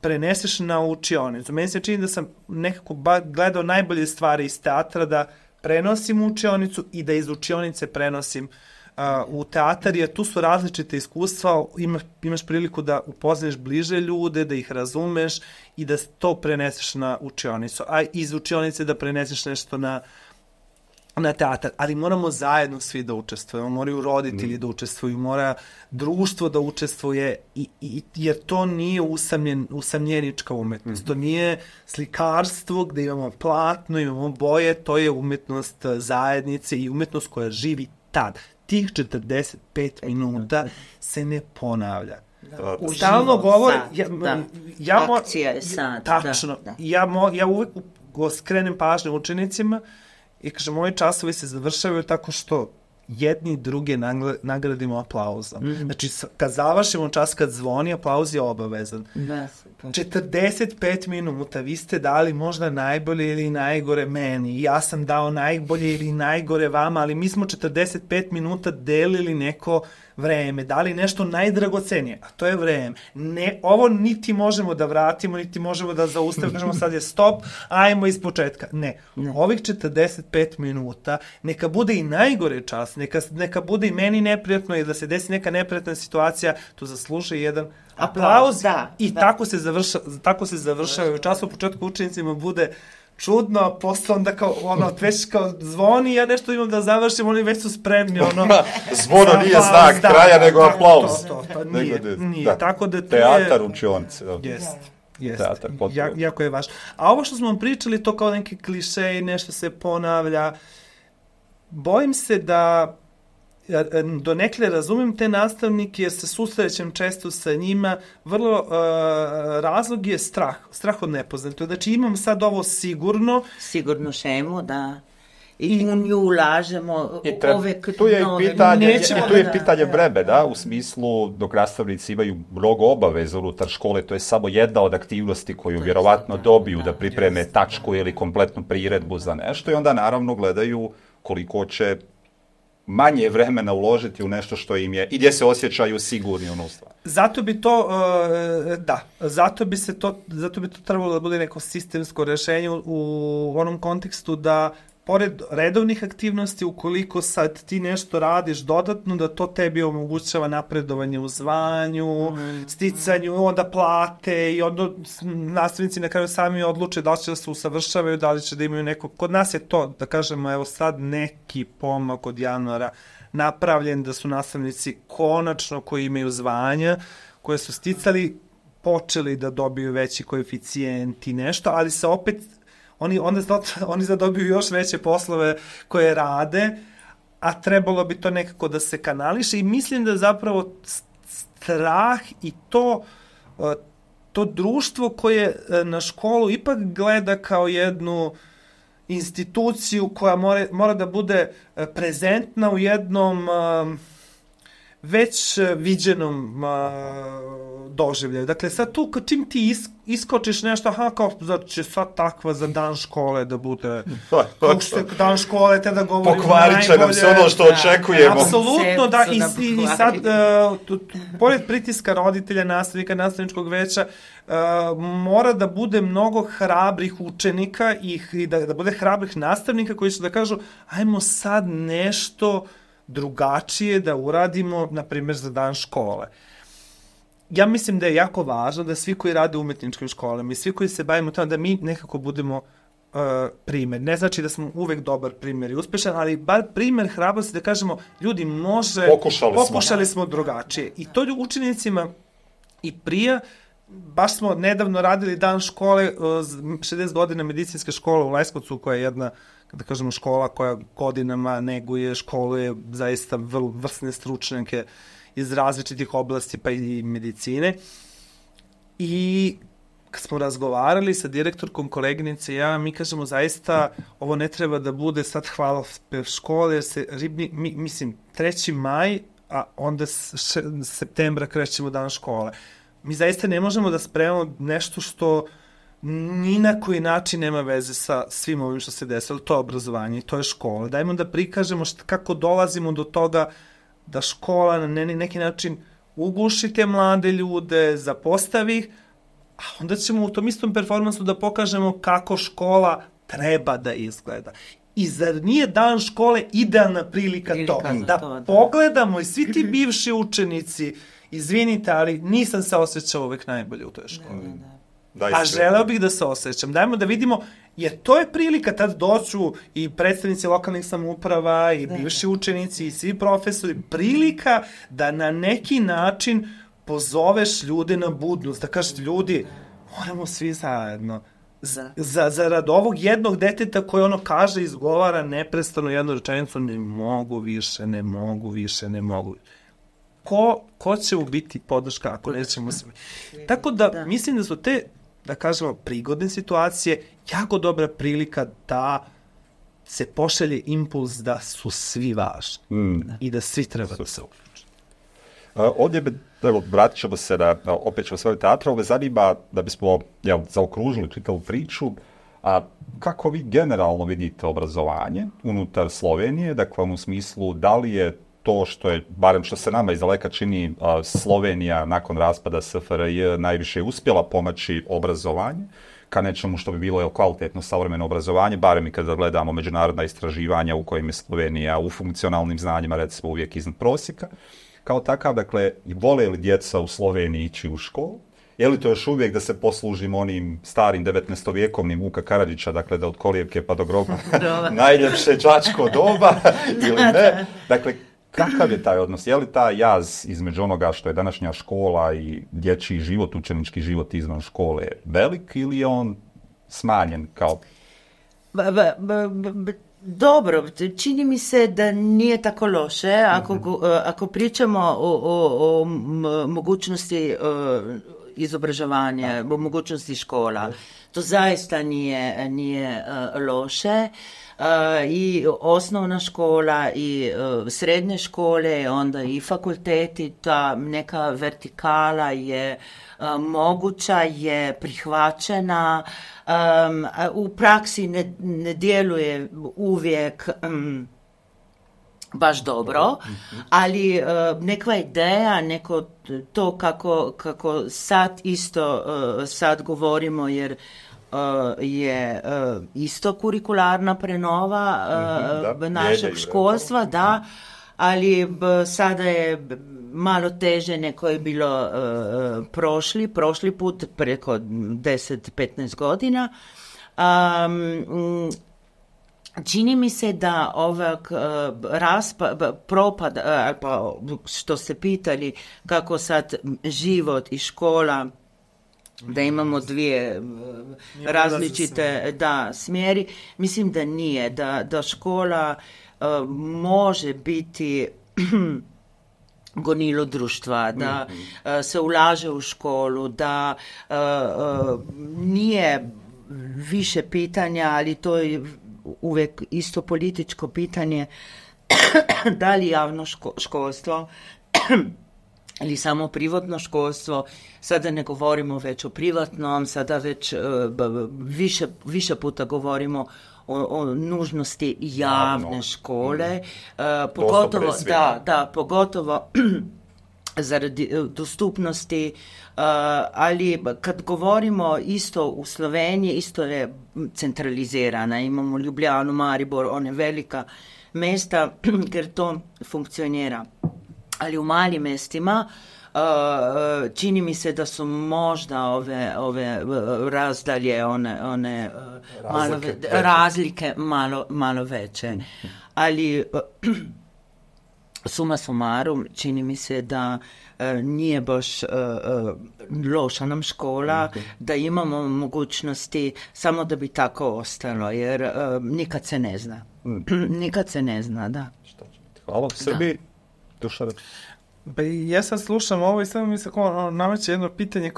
preneseš na učionicu. Meni se čini da sam nekako gledao najbolje stvari iz teatra, da prenosim u učionicu i da iz učionice prenosim u teatar, jer tu su različite iskustva, imaš priliku da upoznaš bliže ljude, da ih razumeš i da to preneseš na učionicu, a iz učionice da preneseš nešto na teatar, ali moramo zajedno svi da učestvujemo, moraju roditelji da učestvuju, mora društvo da učestvuje, jer to nije usamljenička umetnost, to nije slikarstvo gde imamo platno, imamo boje, to je umetnost zajednice i umetnost koja živi tad. Tih 45 minuta se ne ponavlja. Stalno govori... Akcija je sad. Tačno. Ja uvek skrenem pažnju učenicima i kažem, moji časovi se završavaju tako što jedni druge nagradimo aplauzom. Znači, kad završimo čas, kad zvoni, aplauz je obavezan. 45 minuta, vi ste dali možda najbolje ili najgore meni, ja sam dao najbolje ili najgore vama, ali mi smo 45 minuta delili neko vreme, dali nešto najdragocenije, a to je vreme. Ne, ovo niti možemo da vratimo, niti možemo da zaustavimo, kažemo sad je stop, ajmo iz početka. Ne. Ovih 45 minuta, neka bude i najgore čas, neka bude i meni neprijatno i da se desi neka neprijatna situacija, to zaslužuje jedan aplauz i tako se završava. U času u početku učenicima bude čudno, a posle onda kao, već kao zvoni, ja nešto imam da završim, oni već su spremni, Zvono nije znak kraja, nego aplauz. To nije. Tako da to teatar učionice. Jeste. Jako je važno. A ovo što smo vam pričali, to kao neki klišej, nešto se ponavlja. Bojim se da donekle razumem te nastavnike jer se susrećem često sa njima, vrlo razlog je strah od nepoznatog. Znači imam sad ovo sigurnu šemu, da, i u nju ulažemo tu je pitanje breme, da, u smislu dok nastavnici imaju mnogo obaveza unutar škole, to je samo jedna od aktivnosti koju vjerovatno dobiju da pripreme tačku ili kompletnu priredbu za nešto i onda naravno gledaju koliko će manje vremena uložiti u nešto što im je i gdje se osjećaju sigurni u stvar. Zato bi to, zato bi to trebalo da bude neko sistemsko rješenje u onom kontekstu da pored redovnih aktivnosti, ukoliko sad ti nešto radiš dodatno, da to tebi omogućava napredovanje u zvanju, sticanju, onda plate i onda nastavnici na kraju sami odluče da li će da se usavršavaju, da li će da imaju neko... Kod nas je to, da kažemo, evo sad neki pomak od januara napravljen, da su nastavnici konačno koji imaju zvanja, koje su sticali, počeli da dobiju veći koeficijent i nešto, ali se opet... Oni zadobiju još veće poslove koje rade, a trebalo bi to nekako da se kanališe i mislim da zapravo strah i to društvo koje na školu ipak gleda kao jednu instituciju koja mora da bude prezentna u jednom već viđenom doživljaju. Dakle, sad tu, čim ti iskočiš nešto, kao da će sad takva za dan škole da bude, kako što dan škole, te da govorimo najbolje. Pokvarit će nam se ono što očekujemo. Apsolutno, da, i sad, pored pritiska roditelja, nastavnika, nastavničkog veća, mora da bude mnogo hrabrih učenika i da bude hrabrih nastavnika koji će da kažu, ajmo sad nešto drugačije da uradimo, na primjer, za dan škole. Ja mislim da je jako važno da svi koji rade u umetničkim školama i svi koji se bavimo tamo, da mi nekako budemo primjer. Ne znači da smo uvek dobar primjer i uspešan, ali bar primjer hrabrosti da kažemo, ljudi, pokušali smo drugačije. I to učenicima i prije, baš smo nedavno radili dan škole, 60 godina medicinske škole u Leskovcu, koja je jedna, da kažemo, škola koja godinama neguje, školuje zaista vrsne stručnjake iz različitih oblasti, pa i medicine. I kad smo razgovarali sa direktorkom, koleginice, mi kažemo zaista ovo ne treba da bude sad hvalospev škole, jer se 3. maj a onda septembra krećemo dan škole. Mi zaista ne možemo da spremamo nešto što ni na koji način nema veze sa svim ovim što se desilo. To je obrazovanje i to je škola. Dajmo da prikažemo kako dolazimo do toga da škola na neki način uguši te mlade ljude, zapostavi ih, a onda ćemo u tom istom performansu da pokažemo kako škola treba da izgleda. I zar nije dan škole idealna prilika to? Da pogledamo i svi ti bivši učenici, izvinite, ali nisam se osjećao uvek najbolje u toj školi. A želeo bih da se osjećam. Dajmo da vidimo, jer to je prilika, tad doću i predstavnici lokalnih samouprava i bivši učenici i svi profesori, prilika da na neki način pozoveš ljude na budnost, da kažeš ljudi, moramo svi zajedno. Zarad ovog jednog deteta koje ono kaže, izgovara neprestano jednu rečenicu, ne mogu više. Ko će biti podrška ako nećemo svi? Tako da mislim da su te, da kažemo, prigodne situacije jako dobra prilika da se pošalje impuls da su svi važni i da svi treba da se uključe. Ovdje vratit ćemo se opet ćemo svoje teatra, ove zanima da bismo zaokružili čitavu priču, a kako vi generalno vidite obrazovanje unutar Slovenije, dakle u smislu da li je to što je, barem što se nama izdaleka čini, Slovenija nakon raspada SFRJ najviše uspjela pomaći obrazovanje, ka nečemu što bi bilo kvalitetno savremeno obrazovanje, barem i kada gledamo međunarodna istraživanja u kojim je Slovenija u funkcionalnim znanjima recimo uvijek iznad prosjeka. Kao takav, dakle, vole li djeca u Sloveniji ići u školu? Je li to još uvijek da se poslužimo onim starim 19-vjekovnim Vuka Karadžića, dakle da od kolijevke pa do groba najljepše đačko doba ili ne? Dakle, kakav je taj odnos? Je li taj jaz između onoga što je današnja škola i dječji život, učenički život izvan škole velik ili je on smanjen kao... Dobro, čini mi se da nije tako loše ako pričamo o mogućnosti izobražavanja, o mogućnosti škola. To zaista nije loše. I osnovna škola i srednje škole, onda i fakulteti, ta neka vertikala je moguća, je prihvaćena. U praksi ne djeluje uvijek baš dobro, ali neka ideja, neko to kako sad govorimo, jer je isto kurikularna prenova našeg školstva, da, ali sada je malo teže neko je bilo prošli put preko 10-15 godina. Čini mi se da ovak propad, pa što ste pitali, kako sad život i škola, da imamo dvije različite smjeri, mislim da nije, da škola može biti gonilo društva, da se ulaže u školu, da nije više pitanja, ali to je uvijek isto političko pitanje, da li javno školstvo ili samo privatno školstvo, sada ne govorimo već o privatnom, sada već više puta govorimo o nužnosti javne škole, pogotovo zaradi dostupnosti, ali kad govorimo isto u Sloveniji, isto je centralizirana, imamo Ljubljanu, Maribor, one velika mesta jer to funkcionira. Ali u malim mestima čini mi se da su možda ove razdalje, one razlike malo veće. Ali suma sumarum, čini mi se da nije baš loša nam škola, da imamo mogućnosti samo da bi tako ostalo, jer nikad se ne zna. Nikad se ne zna, da. Hvala u Srbiji. Ja sad slušam ovo i samo mi se nameće jedno pitanje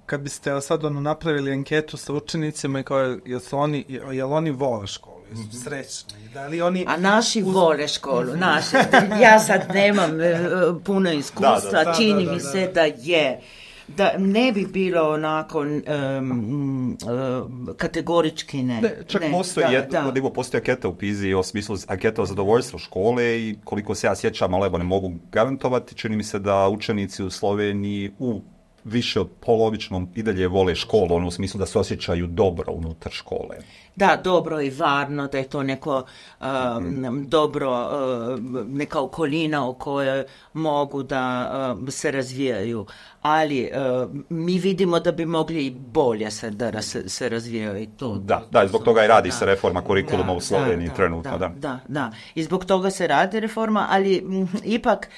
kad biste sad napravili anketu sa učenicima i kao, jel oni vole školu, jesu srećni, da li oni... A naši vole školu, naši. Ja sad nemam puno iskustva, čini mi se da je. Da ne bi bilo onako kategorički ne. Čak postoji anketa u PISA-i o smislu anketa o zadovoljstvu škole i koliko se ja sjećam, ali evo ne mogu garantovati, čini mi se da učenici u Sloveniji u više od polovičnom i dalje vole školu, u smislu da se osjećaju dobro unutar škole. Da, dobro i varno, da je to neko dobro, neka okolina u kojoj mogu da se razvijaju. Ali mi vidimo da bi mogli i bolje da se razvijaju i to. Da, i zbog toga i radi se reforma kurikuluma u Sloveniji trenutno. Da, i zbog toga se radi reforma, ali ipak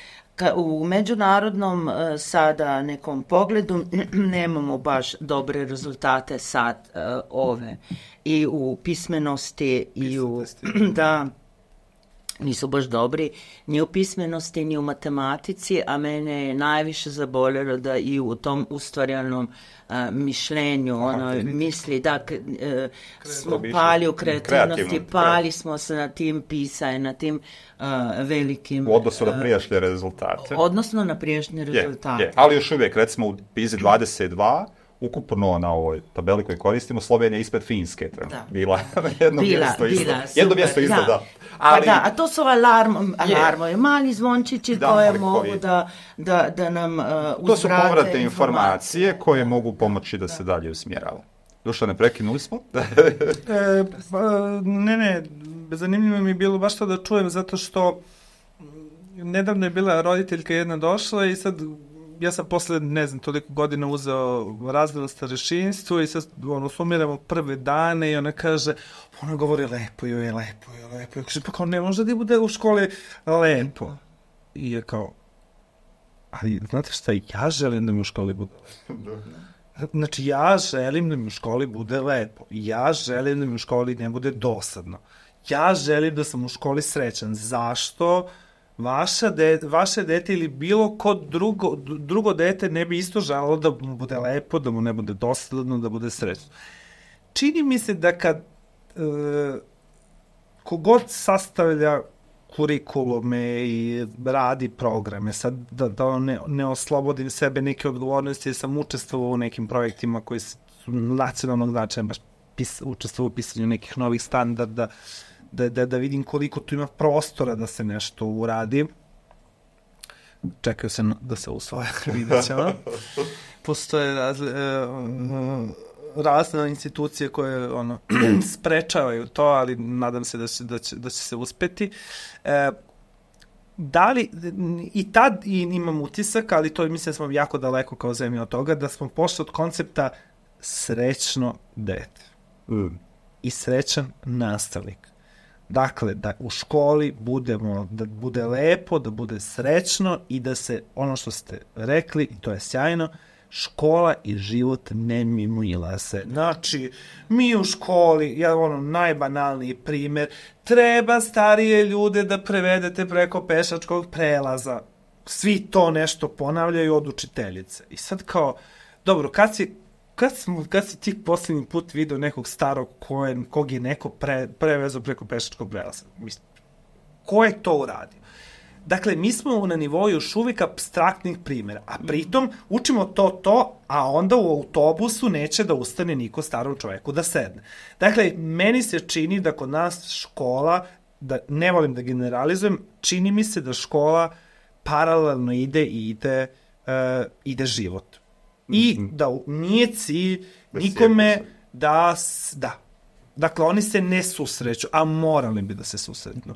u međunarodnom sada nekom pogledu nemamo baš dobre rezultate sad ove i u pismenosti i u da nisu baš dobri ni u pismenosti ni u matematici, a mene je najviše zaboljelo da i u tom ustvarjanom mišljenju, misli da smo pali u kreativnosti, pali smo se na tim pisanje, na tim velikim... U odnosu na prijašnje rezultate. Odnosno na prijašnje rezultate. Ali još uvijek, recimo u PISA 22, ukupno na ovoj tabeli koju koristimo, Slovenija ispred Finske. Bila jedno mjesto isto, da. Ali, a to su alarmovi, mali zvončići koje mogu da nam uzvrate. To su povratne informacije koje mogu pomoći da se dalje usmjerava. Dušane, prekinuli smo? Ne, zanimljivo mi je bilo baš to da čujem, zato što nedavno je bila roditeljka jedna došla i sad ja sam posle, ne znam, toliko godina uzeo razred na starešinstvu i sad sumiramo prve dane i ona kaže, ona govori lepo. Kaže, pa kao ne može da bude u školi lepo. I je kao, ali znate šta, ja želim da mi u školi bude lepo. Znači, ja želim da mi u školi bude lepo. Ja želim da mi u školi ne bude dosadno. Ja želim da sam u školi srećan. Zašto vaše dete ili bilo ko drugo dete ne bi isto želalo da mu bude lepo, da mu ne bude dosadno, da bude srećno. Čini mi se da kad kogod sastavlja kurikulume i radi programe, sad da ne oslobodim sebe neke odgovornosti, jer sam učestvovao u nekim projektima koji su nacionalnog značaja, baš učestvovao u pisanju nekih novih standarda, da vidim koliko tu ima prostora da se nešto uradi. Čekaju se da se usvoje, vidjet ćemo. Postoje razne institucije koje sprečavaju to, ali nadam se da će se uspeti. Da li, i tad imam utisak, ali to mislim da smo jako daleko kao zemlja od toga, da smo pošli od koncepta srećno dete i srećan nastavnik. Dakle, da u školi da bude lepo, da bude srećno i da se, ono što ste rekli, i to je sjajno, škola i život ne mimoila se. Znači, mi u školi, najbanalniji primjer, treba starije ljude da prevedete preko pešačkog prelaza. Svi to nešto ponavljaju od učiteljice. I sad kao, dobro, kad si ti posljednji put vidio nekog starog kog je neko prevezao preko pešačkog prelaza? Ko je to uradio? Dakle, mi smo na nivou još uvijek apstraktnih primjera, a pritom učimo to, a onda u autobusu neće da ustane niko starom čoveku da sedne. Dakle, meni se čini da kod nas škola, da ne volim da generalizujem, čini mi se da škola paralelno ide život. I da nije cilj nikome da. Dakle, oni se ne susreću, a morali bi da se susretnu.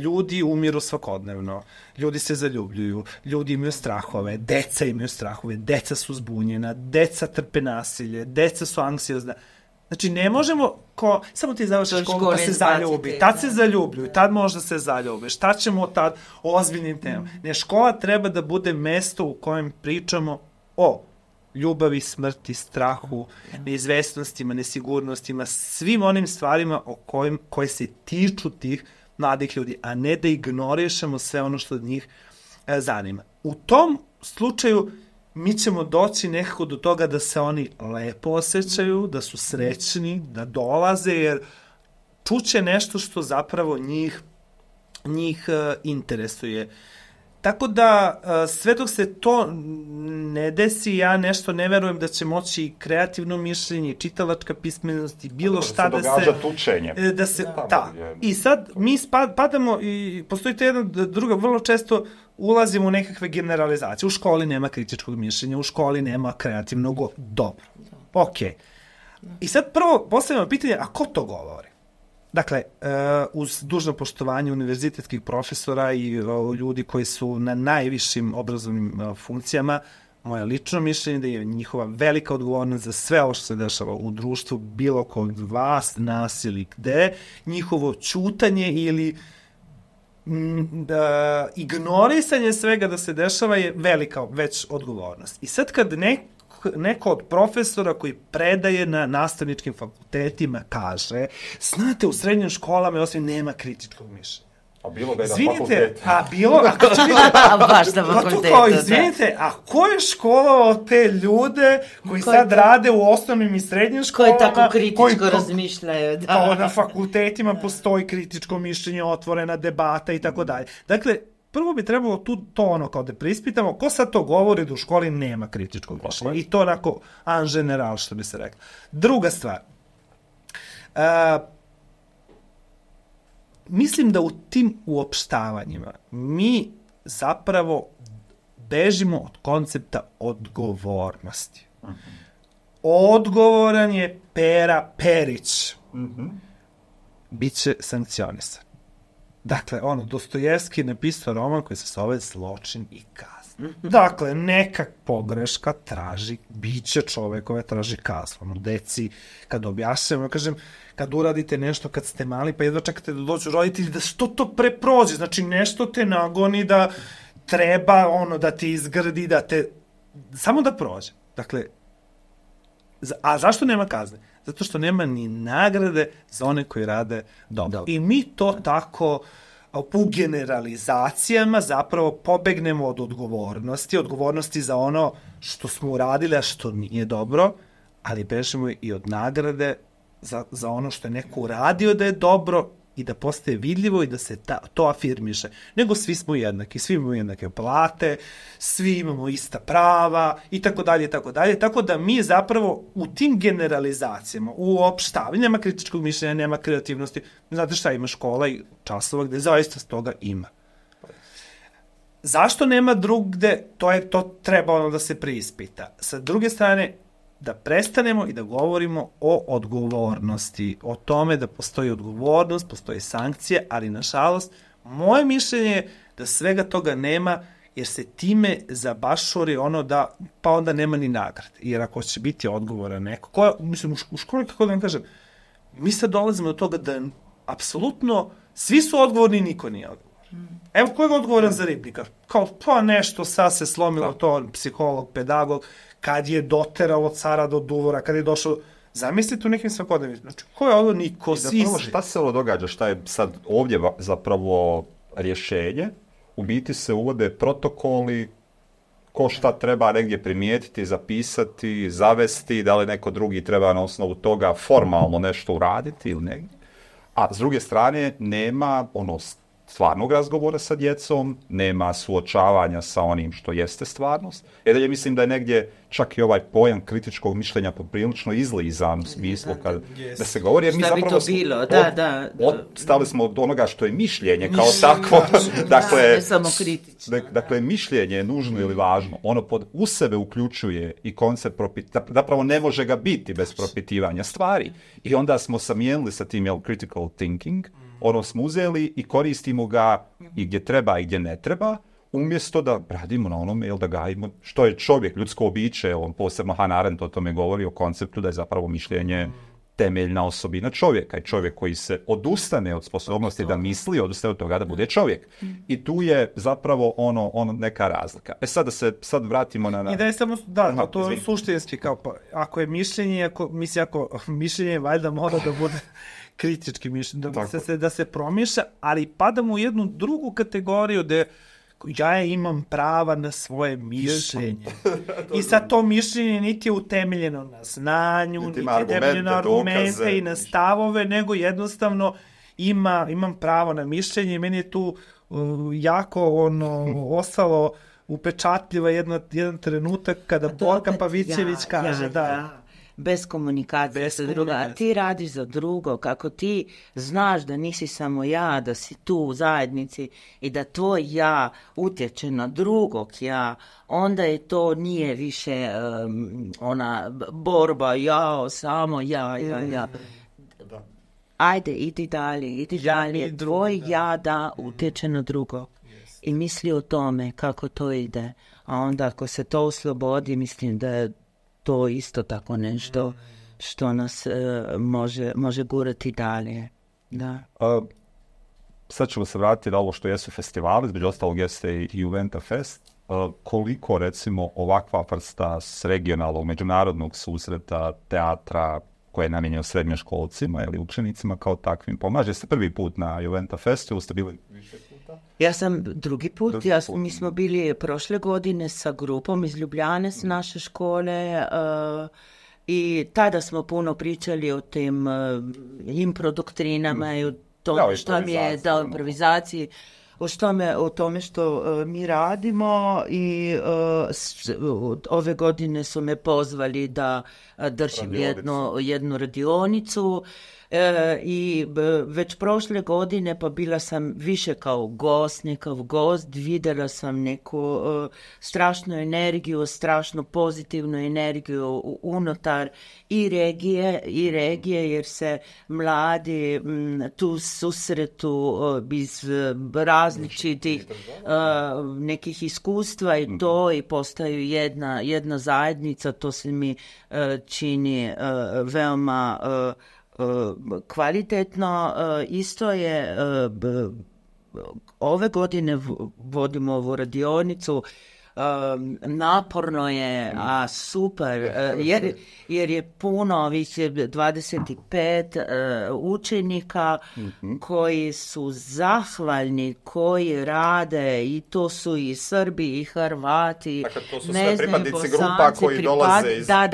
Ljudi umiru svakodnevno, ljudi se zaljubljuju, ljudi imaju strahove, deca imaju strahove, deca su zbunjena, deca trpe nasilje, deca su anksiozna. Znači, ne možemo, samo ti završiš školu pa se zaljubi, tad se zaljubljuju, tad možda se zaljube, šta ćemo tad o ozbiljnim temama. Ne, škola treba da bude mesto u kojem pričamo o ljubavi, smrti, strahu, neizvesnostima, nesigurnostima, svim onim stvarima koje se tiču tih mladih ljudi, a ne da ignorišemo sve ono što njih zanima. U tom slučaju mi ćemo doći nekako do toga da se oni lepo osjećaju, da su srećni, da dolaze, jer čuće nešto što zapravo njih interesuje. Tako da, sve dok se to ne desi, ja nešto ne verujem da će moći kreativno mišljenje, čitalačka pismenost i bilo šta da se... događa tučenje. I sad mi padamo i postoji to jedna druga, vrlo često ulazimo u nekakve generalizacije. U školi nema kritičkog mišljenja, u školi nema kreativnog... Dobro, okej. I sad prvo postavljamo pitanje, a ko to govori? Dakle, uz dužno poštovanje univerzitetskih profesora i ljudi koji su na najvišim obrazovnim funkcijama, moje lično mišljenje da je njihova velika odgovornost za sve ovo što se dešava u društvu, bilo kod vas, nas ili gde, njihovo ćutanje ili ignorisanje svega da se dešava je velika već odgovornost. I sad kad neko od profesora koji predaje na nastavničkim fakultetima kaže, znate, u srednjim školama osim nema kritičkog mišljenja. A bilo ga je na fakultetu. Baš na fakultetu. Izvinite, a ko je školovao te ljude koji sad rade u osnovnim i srednjim školama? Koji tako kritičko razmišljaju. Na fakultetima postoji kritičko mišljenje, otvorena debata i tako dalje. Dakle, prvo bi trebalo to kao da preispitamo, ko sad to govori da u školi nema kritičkog mišljenja. I to onako en general, što bi se reklo. Druga stvar. Mislim da u tim uopštavanjima mi zapravo bežimo od koncepta odgovornosti. Odgovoran je Pera Perić. Biće sankcionisan. Dakle, Dostojevski napisao roman koji se zove Zločin i kazna. Dakle, neka pogreška traži, biće čovekove traži kaznu. Deci, kad objašnjamo, kažem, kad uradite nešto kad ste mali, pa jedva čekate da dođu roditelji, da što to preprođe, znači nešto te nagoni da treba da te izgrdi, samo da prođe. Dakle, a zašto nema kazne? Zato što nema ni nagrade za one koji rade dobro. I mi to tako u generalizacijama zapravo pobegnemo od odgovornosti za ono što smo uradili, a što nije dobro, ali bežimo i od nagrade za ono što je neko uradio da je dobro i da postaje vidljivo i da se to afirmiše. Nego svi smo jednaki, svi imamo jednake plate, svi imamo ista prava i tako dalje, tako dalje. Tako da mi zapravo u tim generalizacijama, u opštavanju, nema kritičkog mišljenja, nema kreativnosti. Znate šta, ima škola i časova gde zaista s toga ima. Zašto nema drugde, to treba da se preispita. Sa druge strane, da prestanemo i da govorimo o odgovornosti, o tome da postoji odgovornost, postoji sankcije, ali nažalost, moje mišljenje je da svega toga nema, jer se time zabašuri pa onda nema ni nagrade. Jer ako će biti odgovoran neko, u školi, kako da vam kažem, mi sad dolazimo do toga da apsolutno svi su odgovorni i niko nije odgovoran. Evo, ko je odgovoran za ribnika? Kao, pa nešto sad se slomilo to, psiholog, pedagog, kad je doteralo cara do duvora, kad je došao, zamislite u nekim svakodnevnim, znači, ko je ovo niko sisi? Zapravo, šta se ovo događa, šta je sad ovdje zapravo rješenje? U biti se uvode protokoli, ko šta treba negdje primijetiti, zapisati, zavesti, da li neko drugi treba na osnovu toga formalno nešto uraditi ili negdje. A s druge strane, nema stvarnog razgovora sa djecom, nema suočavanja sa onim što jeste stvarnost. Dalje mislim da je negdje čak i ovaj pojam kritičkog mišljenja poprilično izlizan u smislu da se govori, jer mi zapravo bi to bilo? stali smo od onoga što je mišljenje kao takvo. Dakle, mišljenje je nužno ili važno. Ono u sebe uključuje i koncept zapravo ne može ga biti bez propitivanja stvari. I onda smo zamijenili sa tim critical thinking, smo uzeli i koristimo ga i gdje treba i gdje ne treba, umjesto da radimo na onome, da gajimo što je čovjek, ljudsko biće, posebno Hannah Arendt o tome govori, o konceptu da je zapravo mišljenje temeljna osobina čovjeka i čovjek koji se odustane od sposobnosti da misli, odustaje od toga da bude čovjek. I tu je zapravo neka razlika. Sad da se vratimo na... I da je samo, to je suštinski, kao ako je mišljenje, ako mišljenje valjda mora da bude kritički mišljenje, da se promišlja, ali padamo u jednu drugu kategoriju gde ja imam prava na svoje mišljenje. I sad to mišljenje niti je utemeljeno na znanju, niti je utemeljeno na argumente i na stavove, nego jednostavno imam pravo na mišljenje i meni je tu jako ostalo upečatljivo jedan trenutak kada Borka Pavićević kaže bez komunikacije sa druga. Ti radiš za drugo, kako ti znaš da nisi samo ja, da si tu u zajednici i da tvoj ja utječe na drugog ja, onda je to nije više ona borba, samo ja. Ajde, idi dalje. Tvoj ja da utječe na drugo. I misli o tome kako to ide. A onda ako se to oslobodi, mislim da je to isto tako nešto što nas može gurati dalje. Da. Sad ćemo se vratiti na ovo što jesu festivali, između ostalog jeste i Juventa Fest. Koliko, recimo, ovakva vrsta s regionalnog, međunarodnog susreta, teatra, koje je namijenjeno srednjoškolcima ili učenicima kao takvim, pomaže se prvi put na Juventa Festu, ste bili više puta? Ja sam drugi put. Mi smo bili prošle godine sa grupom iz Ljubljane s naše škole i tada smo puno pričali o tim improdoktrinama i o tome što mi je dao improvizaciji, o tome što mi radimo i ove godine su me pozvali da držim jednu radionicu i već prošle godine pa bila sam više kao gost, vidjela sam neku strašnu energiju, strašno pozitivnu energiju unutar i regije jer se mladi tu susretu iz različitih nekih iskustva i to i postaju jedna zajednica, to se mi čini veoma kvalitetno. Isto je ove godine vodimo ovu radionicu, naporno je, a super, jer je puno ovih 25 učenika koji su zahvalni, koji rade i to su i Srbi i Hrvati. Dakle, to su sve pripadnici grupa koji dolaze sa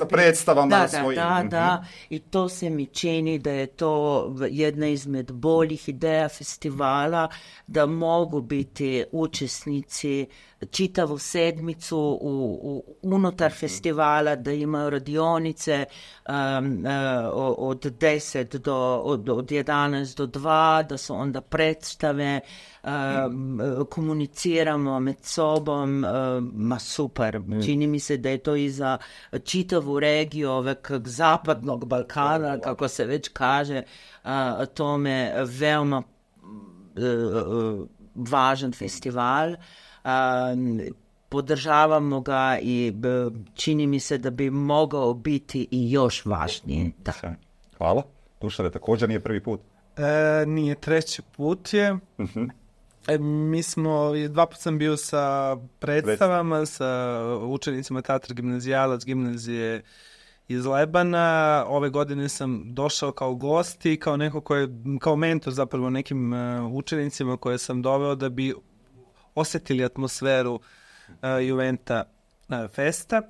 predstavama svojim. Da, i to se mi čini da je to jedna izmed boljih ideja festivala, da mogu biti učesnici čitavu sedmicu unutar festivala, da imaju radionice od 10 od 11 do 2, da se onda predstave, komuniciramo med sobom, super. Čini mi se da je to i za čitavu regiju ovog zapadnog Balkana, kako se već kaže, tome veoma važan festival. Podržavamo ga i čini mi se da bi mogao biti i još važniji. Hvala. Dušane, također nije prvi put? Nije, treći put je. Mi smo, 2 puta sam bio sa predstavama, sa učenicima Teatra Gimnazijalac gimnazije iz Lebana. Ove godine sam došao kao gost i kao neko kao mentor zapravo nekim učenicima koje sam doveo da bi osjetili atmosferu Juventa Festa.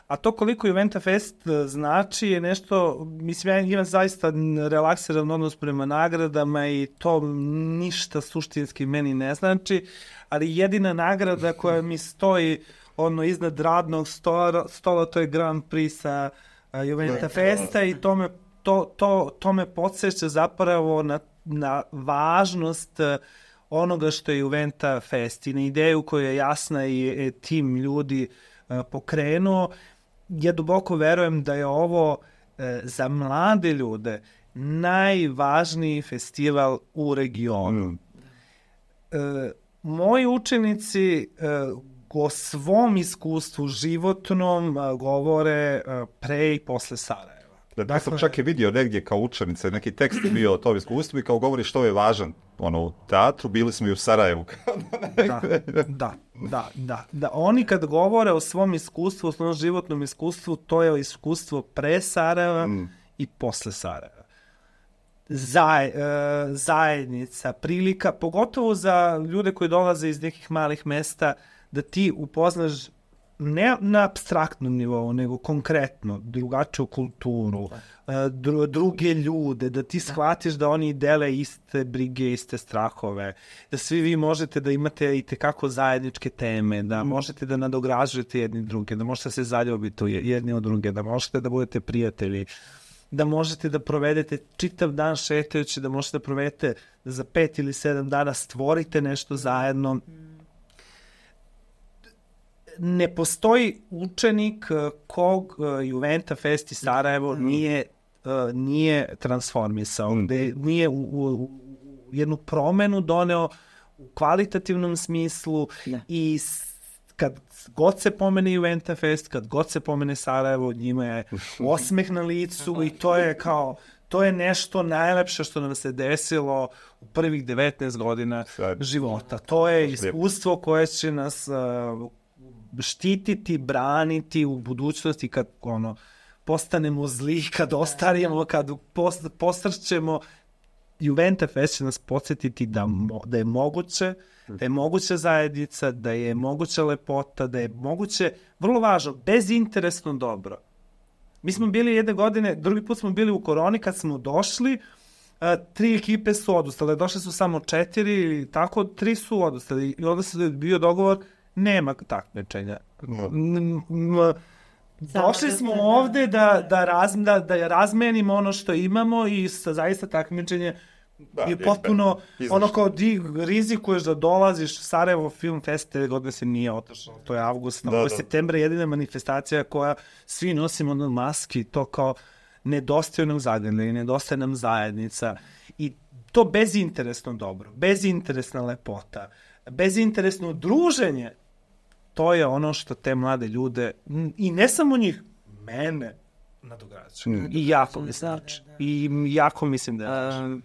A to koliko Juventa Fest znači je nešto, mislim, ja imam zaista relaksiran odnos prema nagradama i to ništa suštinski meni ne znači, ali jedina nagrada koja mi stoji iznad radnog stola, to je Grand Prix sa Juventa Festa i to me podsjeća zapravo na važnost onoga što je Juventa Fest i na ideju koja je jasna i tim ljudi pokrenuo. Ja duboko verujem da je ovo za mlade ljude najvažniji festival u regionu. Moji učenici o svom iskustvu životnom govore pre i posle Sarajeva. Dakle, sam čak i vidio negdje kao učenice, neki tekst bio o tom iskustvu i kao govori što je važan u teatru, bili smo i u Sarajevu. Da. Oni kad govore o svom iskustvu, o svom životnom iskustvu, to je iskustvo pre Sarajeva i posle Sarajeva. zajednica, prilika, pogotovo za ljude koji dolaze iz nekih malih mesta, da ti upoznaš ne na apstraktnom nivou, nego konkretno drugačiju kulturu, druge ljude, da ti shvatiš da oni dele iste brige, iste strahove, da svi vi možete da imate i tekako zajedničke teme, da možete da nadogražujete jedni druge, da možete se zaljubiti jedni od druge, da možete da budete prijatelji, da možete da provedete čitav dan šetajući, da možete da provedete da za 5 ili 7 dana stvorite nešto zajedno. Ne postoji učenik kog Juventa Fest iz Sarajevo nije transformisao, gde nije u jednu promenu doneo u kvalitativnom smislu i kad god se pomene Juventa Fest, kad god se pomene Sarajevo, njima je osmeh na licu i to je nešto najlepše što nam se desilo u prvih 19 godina života. To je iskustvo koje će nas štititi, braniti u budućnosti kad postanemo zli, kad ostarimo, kad posrćemo. Juventa Fest će nas podsjetiti da je moguće, da je moguća zajednica, da je moguća lepota, da je moguće, vrlo važno, bezinteresno dobro. Mi smo bili jedne godine, drugi put smo bili u koroni, kad smo došli, 3 ekipe su odustale, došle su samo 4 ili tako, 3 su odustali i onda se bio dogovor, nema takmičenja. Došli smo ovde da razmenimo ono što imamo i zaista takmičenje je potpuno ono kao rizikuješ da dolaziš Sarajevo Film Fest, te godine se nije otašao, to je avgust, ovo je septembra jedina manifestacija koja svi nosimo na maski, to kao nedostaje nam zagrljaj, nedostaje nam zajednica i to bezinteresno dobro, bezinteresna lepota, bezinteresno druženje, to je ono što te mlade ljude, i ne samo njih, mene nadograđuje. I jako mi znači. I jako mislim da je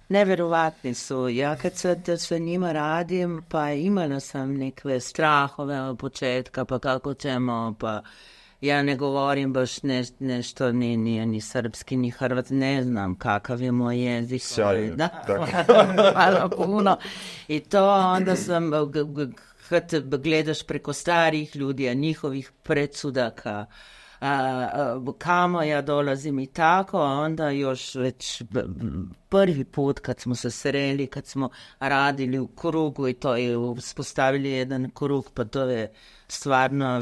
neverovatni su. Ja kad sa njima radim, pa imala sam neke strahove od početka, pa kako ćemo, pa ja ne govorim baš nešto, nije ni srpski, ni hrvatski, ne znam kakav je moj jezik. Sjajno. Hvala puno. I to onda sam, kad gledaš preko starih ljudi, a njihovih predsudaka, kamo ja dolazim i tako, onda još već prvi put kad smo se sreli, kad smo radili u krugu i to je uspostavili jedan krug, pa to je stvarno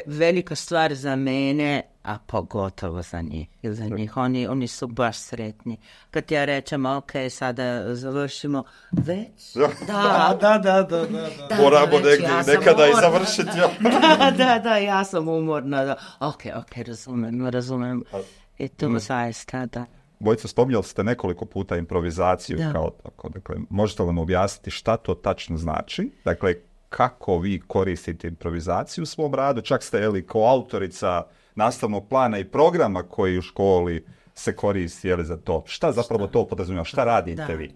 velika stvar za mene, a pogotovo za njih. Oni su baš sretni. Kad ja rečem, ok, sada završimo, već? Da. Moramo nekada i završiti. Da, ja sam umorna. Ok, razumem. I to zaista, da. Bojica, spominjali ste nekoliko puta improvizaciju kao tako. Dakle, možete li nam objasniti šta to tačno znači? Dakle, kako vi koristite improvizaciju u svom radu? Čak ste kao autorica nastavnog plana i programa koji u školi se koristi za to. Šta zapravo to podrazumijeva? Šta radite vi?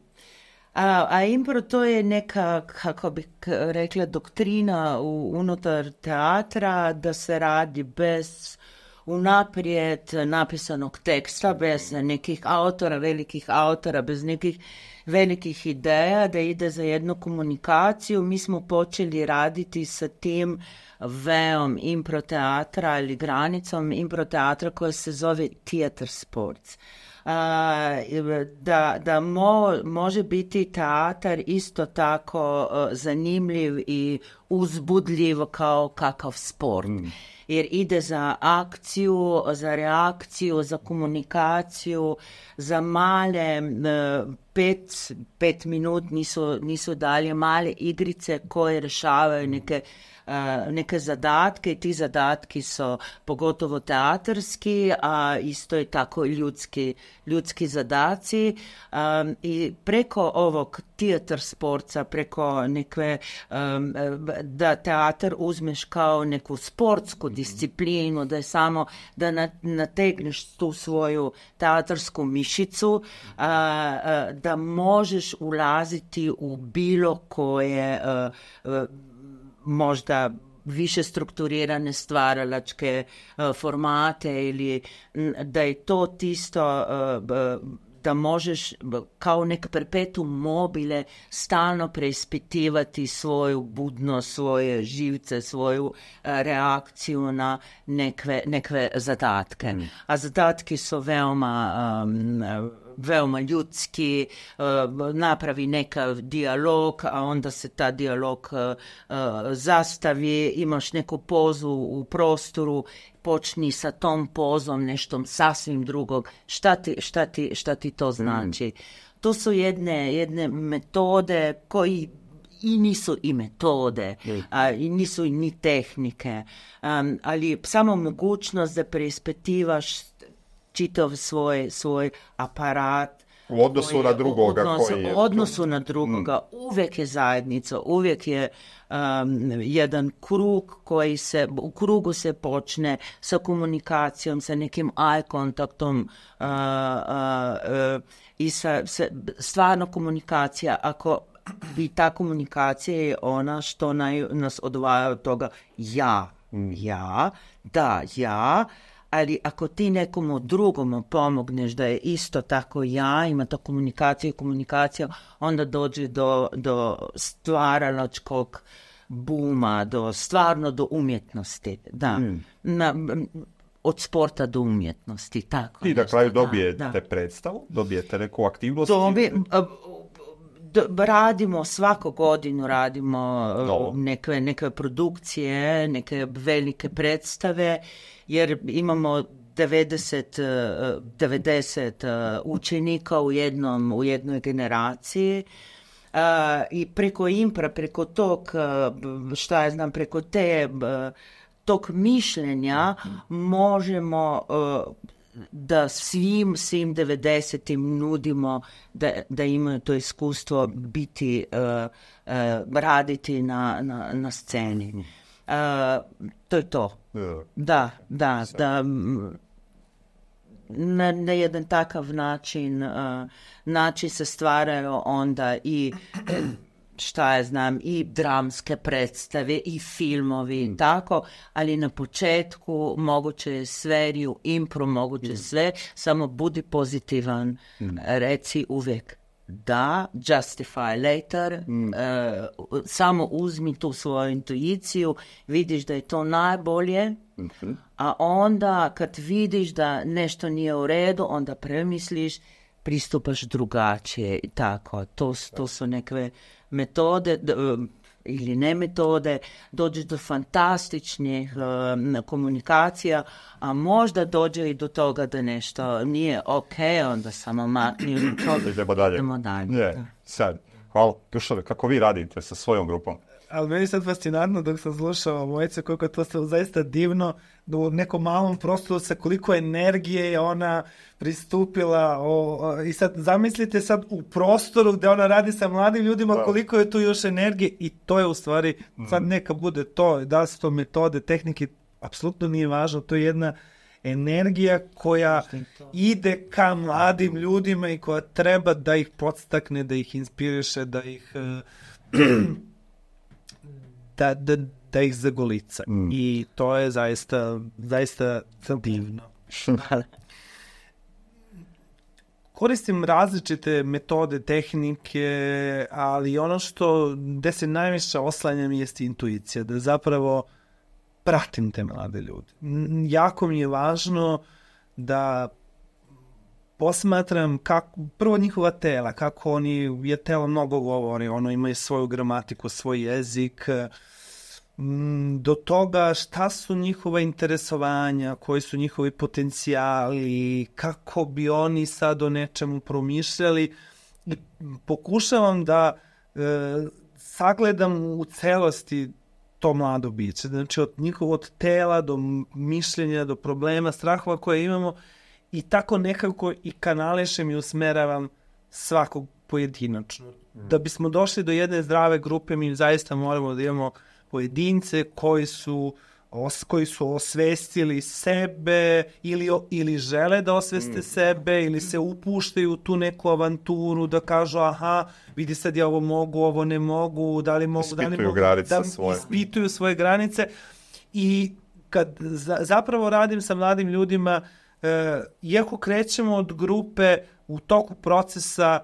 A impro to je neka, kako bih rekla, doktrina unutar teatra, da se radi bez unaprijed napisanog teksta, bez nekih autora, velikih autora, bez nekih velikih ideja, da ide za jednu komunikaciju. Mi smo počeli raditi sa tim veom improteatra ili granicom improteatra koja se zove theater sports. Da može biti teatar isto tako zanimljiv i uzbudljiv kao kakav sport. Jer ide za akciju, za reakciju, za komunikaciju, za male 5 minut nisu dalje male igrice koje rešavaju neke zadatke i ti zadatki su pogotovo teatarski, a isto je tako ljudski zadaci i preko ovog teatar sporta, preko neke da teatar uzmeš kao neku sportsku disciplinu, da je samo da nategneš tu svoju teatarsku mišicu, da možeš ulaziti u bilo koje možda više strukturirane stvaralačke formate ili da je to tisto da možeš kao neka perpetuum mobile stalno preispitivati svoju budnost, svoje živce, svoju reakciju na nekve zadatke. A zadatki su veoma ljudski, napravi nekav dijalog, a onda se ta dijalog zastavi, imaš neku pozu u prostoru, počni sa tom pozom nešto sasvim drugog. Šta ti to znači? To su jedne metode koji i nisu i metode, i nisu ni tehnike, ali samo mogućnost da preispitivaš čitav svoj aparat u odnosu na drugoga u odnosu na drugoga. Uvijek je zajednica, uvijek je jedan krug u krugu se počne sa komunikacijom, sa nekim eye kontaktom i sa stvarno komunikacija. Ako bi ta komunikacija je ona što nas odvaja od toga ja, ali ako ti nekomu drugom pomogneš da je isto tako ima to komunikacija, onda dođe do stvaralačkog buma, stvarno do umjetnosti. Da. Od sporta do umjetnosti. Tako i na kraju dobijete predstavu, dobijete neku aktivnost. Radimo, svaku godinu radimo neke produkcije, neke velike predstave, jer imamo 90 učenika u jednoj generaciji. I preko impra, preko tog, preko tog mišljenja možemo da svim 90-im nudimo da imaju to iskustvo biti, raditi na sceni. To je to. Da. Na jedan takav način se stvaraju onda i i dramske predstave i filmovi, tako, ali na početku moguće je sve, i u impro moguće sve, samo budi pozitivan, reci uvijek da, justify later, samo uzmi tu svoju intuiciju, vidiš da je to najbolje, a onda kad vidiš da nešto nije u redu, onda premisliš, pristupaš drugačije i tako. To su neke metode ili ne metode, dođe do fantastičnih komunikacija, a možda dođe i do toga da nešto nije ok, onda samo makni. Idemo dalje. Sad, hvala. Dušane, kako vi radite sa svojom grupom? Ali meni je sad fascinantno dok sam slušao mojice, koliko je to zaista divno, da u nekom malom prostoru sa koliko energije je ona pristupila. I sad zamislite sad u prostoru gde ona radi sa mladim ljudima, koliko je tu još energije, i to je u stvari, sad neka bude to, da li su to metode, tehnike, apsolutno nije važno, to je jedna energija koja ide ka mladim ljudima i koja treba da ih podstakne, da ih inspiriše, da ih da ih zagolica. I to je zaista divno. Koristim različite metode, tehnike, ali ono gde se najviše oslanjam jeste intuicija, da zapravo pratim te mlade ljude. Jako mi je važno da posmatram prvo njihova tela, kako je telo mnogo govori, imaju svoju gramatiku, svoj jezik, do toga šta su njihova interesovanja, koji su njihovi potencijali, kako bi oni sad o nečemu promišljali. I pokušavam da sagledam u celosti to mlado biće. Znači od tela do mišljenja, do problema, strahova koje imamo, i tako nekako i kanališem i usmeravam svakog pojedinačno. Da bismo došli do jedne zdrave grupe, mi zaista moramo da imamo pojedince koji su koji su osvestili sebe ili žele da osveste sebe ili se upuštaju u tu neku avanturu da kažu aha, vidi sad ja ovo mogu, ovo ne mogu, da li mogu, ispituju svoje granice i kad zapravo radim sa mladim ljudima, iako krećemo od grupe u toku procesa,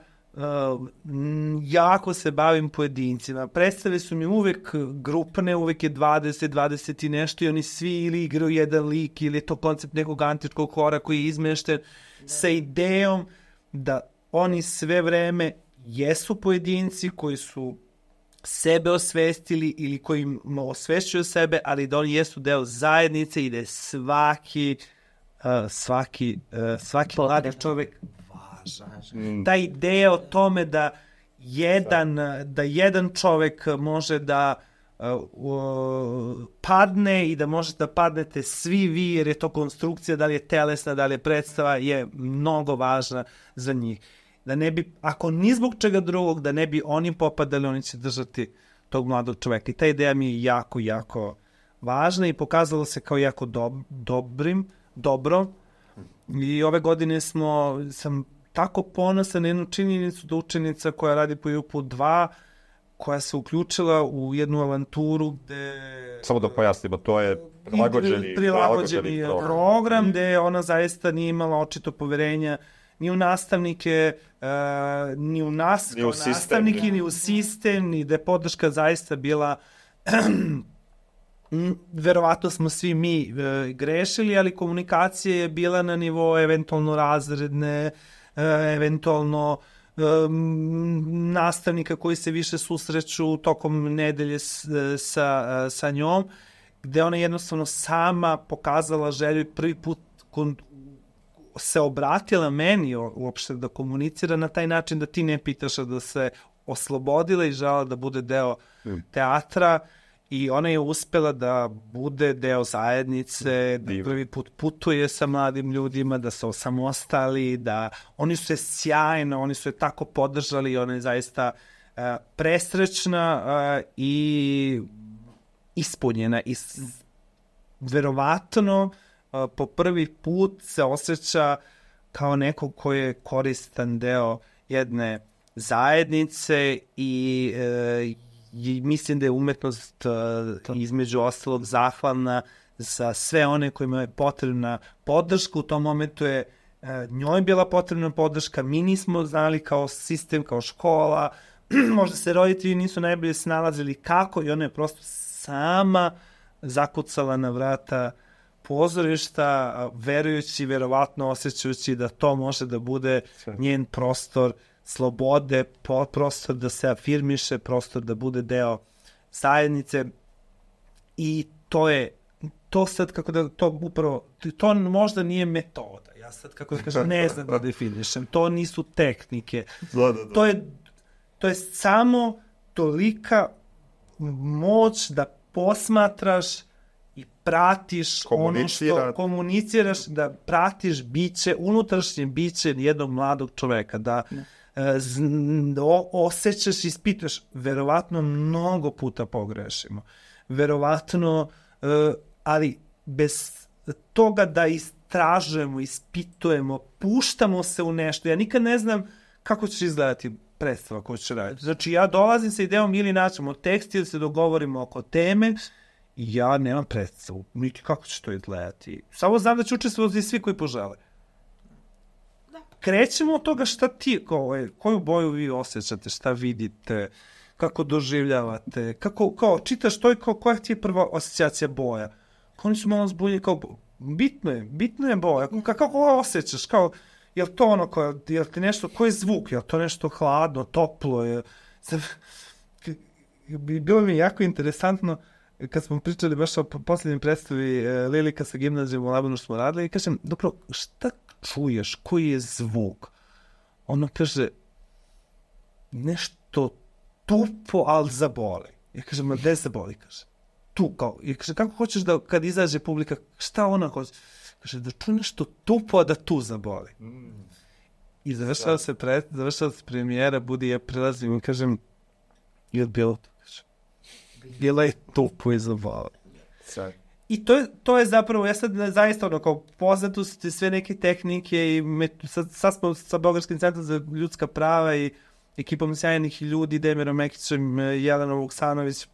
jako se bavim pojedincima. Predstave su mi uvek grupne, uvek je 20 i nešto i oni svi ili igraju jedan lik ili je to koncept nekog antičkog hora koji je izmešten sa idejom da oni sve vreme jesu pojedinci koji su sebe osvestili ili koji osvešćuju sebe, ali da oni jesu deo zajednice i da je svaki mladi čovek važan. Ta ideja o tome da jedan čovek može da padne i da možete da padnete svi vi, jer je to konstrukcija, da li je telesna, da li je predstava, je mnogo važna za njih. Da ne bi, ako ni zbog čega drugog, da ne bi oni popadali, oni će držati tog mladog čoveka. I ta ideja mi je jako, jako važna i pokazalo se kao jako dobro. I ove godine sam tako ponosan na jednu činjenicu da učenica koja radi po JUP-u 2, koja se uključila u jednu avanturu gde... Samo da pojasnimo, to je prilagođeni program gde ona zaista nije imala očito poverenja ni u nastavnike, ni u nas kao nastavnike, ni u sistem, ni da je podrška zaista bila... Verovatno smo svi mi grešili, ali komunikacija je bila na nivou eventualno razredne, eventualno nastavnika koji se više susreću tokom nedelje sa njom, gde ona jednostavno sama pokazala želju i prvi put se obratila meni uopšte da komunicira na taj način da ti ne pitaš, da se oslobodila i žela da bude deo teatra. I ona je uspela da bude deo zajednice, da prvi put putuje sa mladim ljudima, da su osamostali, da oni su je sjajno, oni su je tako podržali i ona je zaista presrećna i ispunjena. I verovatno po prvi put se osjeća kao neko ko je koristan deo jedne zajednice i mislim da je umetnost između ostalog zahvalna za sve one kojima je potrebna podrška. U tom momentu je njoj bila potrebna podrška, mi nismo znali kao sistem, kao škola, možda se roditelji nisu najbolje snalazili kako i ona je prosto sama zakucala na vrata pozorišta, verujući, verovatno osjećajući da to može da bude njen prostor slobode, prostor da se afirmiše, prostor da bude deo zajednice i to sad kako da to upravo, to možda nije metoda, ja sad kako da kažem ne znam da definišem, to nisu tehnike, to je samo tolika moć da posmatraš i pratiš ono što komuniciraš, da pratiš biće, unutrašnje biće jednog mladog čoveka, da osjećaš i ispitaš, verovatno mnogo puta pogrešimo, verovatno, ali bez toga da istražujemo, ispitujemo, puštamo se u nešto, ja nikad ne znam kako će izgledati predstava koju će raditi. Znači, ja dolazim sa idejom ili naćemo tekst ili se dogovorimo oko teme i ja nemam predstavu, niti kako će to izgledati. Samo znam da će učestvovati svi koji požele. Krećemo od toga šta ti, koju boju vi osjećate, šta vidite, kako doživljavate, kao čitaš to i koja ti je prva asocijacija boja. Oni su malo zbunjeni, kao bitno je boja, kako osjećaš, kao, je li to ono, je li ti nešto, koji je zvuk, je li to nešto hladno, toplo, bilo mi je jako interesantno, kad smo pričali baš o posljednjem predstavi Lilika sa gimnazijom u Labanu što smo radili, i kažem, dobro, šta čuješ, koji je zvuk? Ono kaže, nešto tupo, ali zaboli. Ja kažem, gde zaboli? Kaže, tu, kao, i kaže, kako hoćeš da kad izađe publika, šta ona hoće? Kaže, da čuje nešto tupo, a da tu zaboli. I završava se premijera, budi ja prilazim i kažem, je bilo to? Bila je tupo i zaboli. I to je zapravo, ja sad zaista ono, kao poznato su sve neke tehnike i sad smo sa Beogradskim centrom za ljudska prava i ekipom sjajnih ljudi, Demirom Mekićem, Jelenom Vuksanović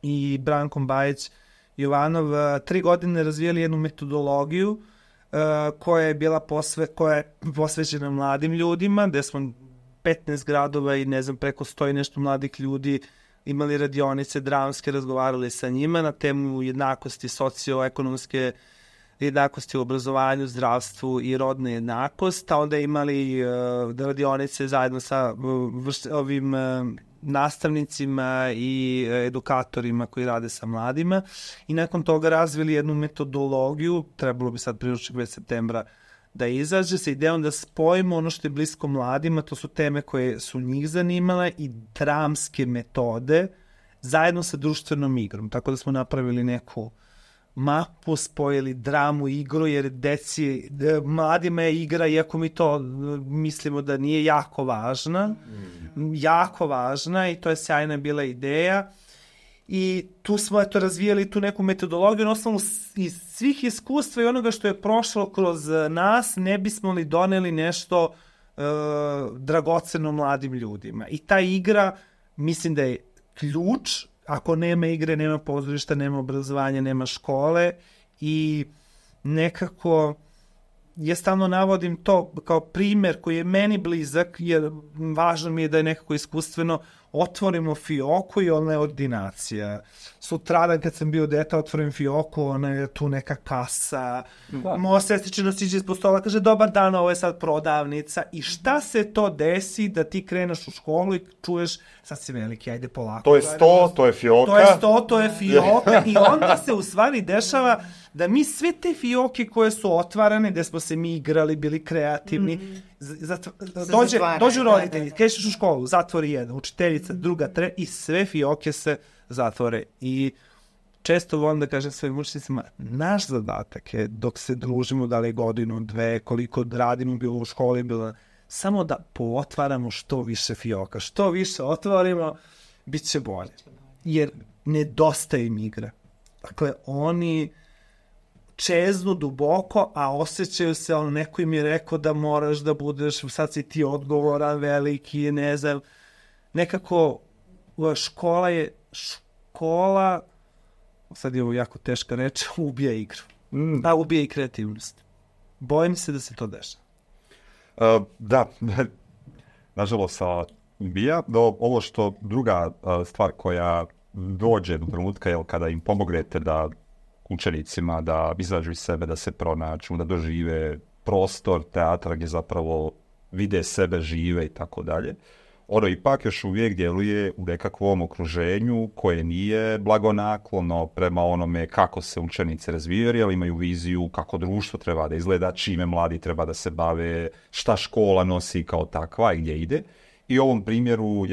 i Brankom Bajić Jovanov, 3 godine razvijali jednu metodologiju koja je bila posvećena mladim ljudima, gde smo 15 gradova i ne znam, preko 100 i nešto mladih ljudi imali radionice dramske, razgovarali sa njima na temu jednakosti, socioekonomske jednakosti u obrazovanju, zdravstvu i rodne jednakost, a onda imali radionice zajedno sa ovim nastavnicima i edukatorima koji rade sa mladima i nakon toga razvili jednu metodologiju, trebalo bi sad priručnik već septembra da izađe sa idejom da spojimo ono što je blisko mladima, to su teme koje su njih zanimale i dramske metode zajedno sa društvenom igrom. Tako da smo napravili neku mapu, spojili dramu i igru, jer mladima je igra, iako mi to mislimo da nije jako važna i to je sjajna bila ideja. I tu smo razvijali tu neku metodologiju na osnovu iz svih iskustva i onoga što je prošlo kroz nas, ne bismo li doneli nešto dragoceno mladim ljudima. I ta igra, mislim da je ključ. Ako nema igre, nema pozorišta, nema obrazovanja, nema škole i nekako ja stalno navodim to kao primer koji je meni blizak, jer važno mi je da je nekako iskustveno otvorimo fioku i ona je ordinacija. Sutradan kad sam bio dete, otvorim fioku, ona je tu neka kasa. Moja sestričina siđe ispod stola, kaže dobar dan, ovo je sad prodavnica. I šta se to desi da ti kreneš u školu i čuješ sad si veliki, ajde polako. To je sto, to je fioka. To je fioka i onda se u stvari dešava da mi sve te fioke koje su otvarane, gde smo se mi igrali, bili kreativni, dođu roditelji, krećeš u školu, zatvori jedan, učiteljica, druga, tre, i sve fioke se zatvore. I često volim da kažem svojim učiteljicima, naš zadatak je dok se družimo, da li godinu, dve, koliko radimo, bilo u školi, bilo samo da pootvaramo što više fioka. Što više otvorimo, bit će bolje. Jer nedostaje im igra. Dakle, oni čeznu duboko, a osjećaju se, neko im je rekao da moraš da budeš, sad si ti odgovoran, veliki, ne znam. Nekako škola, sad je ovo jako teška reč, ubija igru. Ubija i kreativnost. Bojim se da se to dešava. Da, nažalost ubija. Ovo što druga stvar koja dođe do trenutka, je kada im pomognete da učenicima da izađu iz sebe, da se pronađu, da dožive prostor teatra gdje zapravo vide sebe, žive i tako dalje. Ono ipak još uvijek djeluje u nekakvom okruženju koje nije blagonaklono prema onome kako se učenici razvijaju, ali imaju viziju kako društvo treba da izgleda, čime mladi treba da se bave, šta škola nosi kao takva i gdje ide. I u ovom primjeru,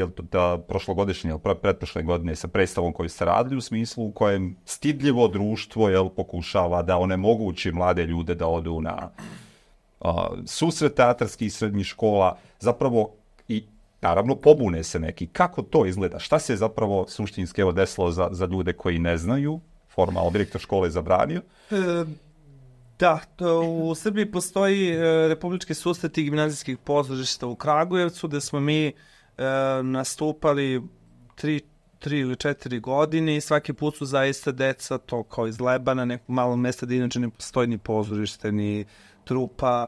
prošlogodišnje ili pretprošle godine sa predstavom koju ste radili, u smislu u kojem stidljivo društvo pokušava da onemogući mlade ljude da odu na susret teatarskih i srednjih škola, zapravo i naravno pobune se neki. Kako to izgleda? Šta se zapravo suštinski desilo za ljude koji ne znaju? Formalno direktor škole je zabranio? Da, u Srbiji postoji republički susreti gimnazijskih pozorišta u Kragujevcu, gde smo mi nastupali 3 ili 4 godine i svaki put su zaista deca to kao iz Lebana, nekog malog mesta da inače ne postoji ni pozorište, ni trupa.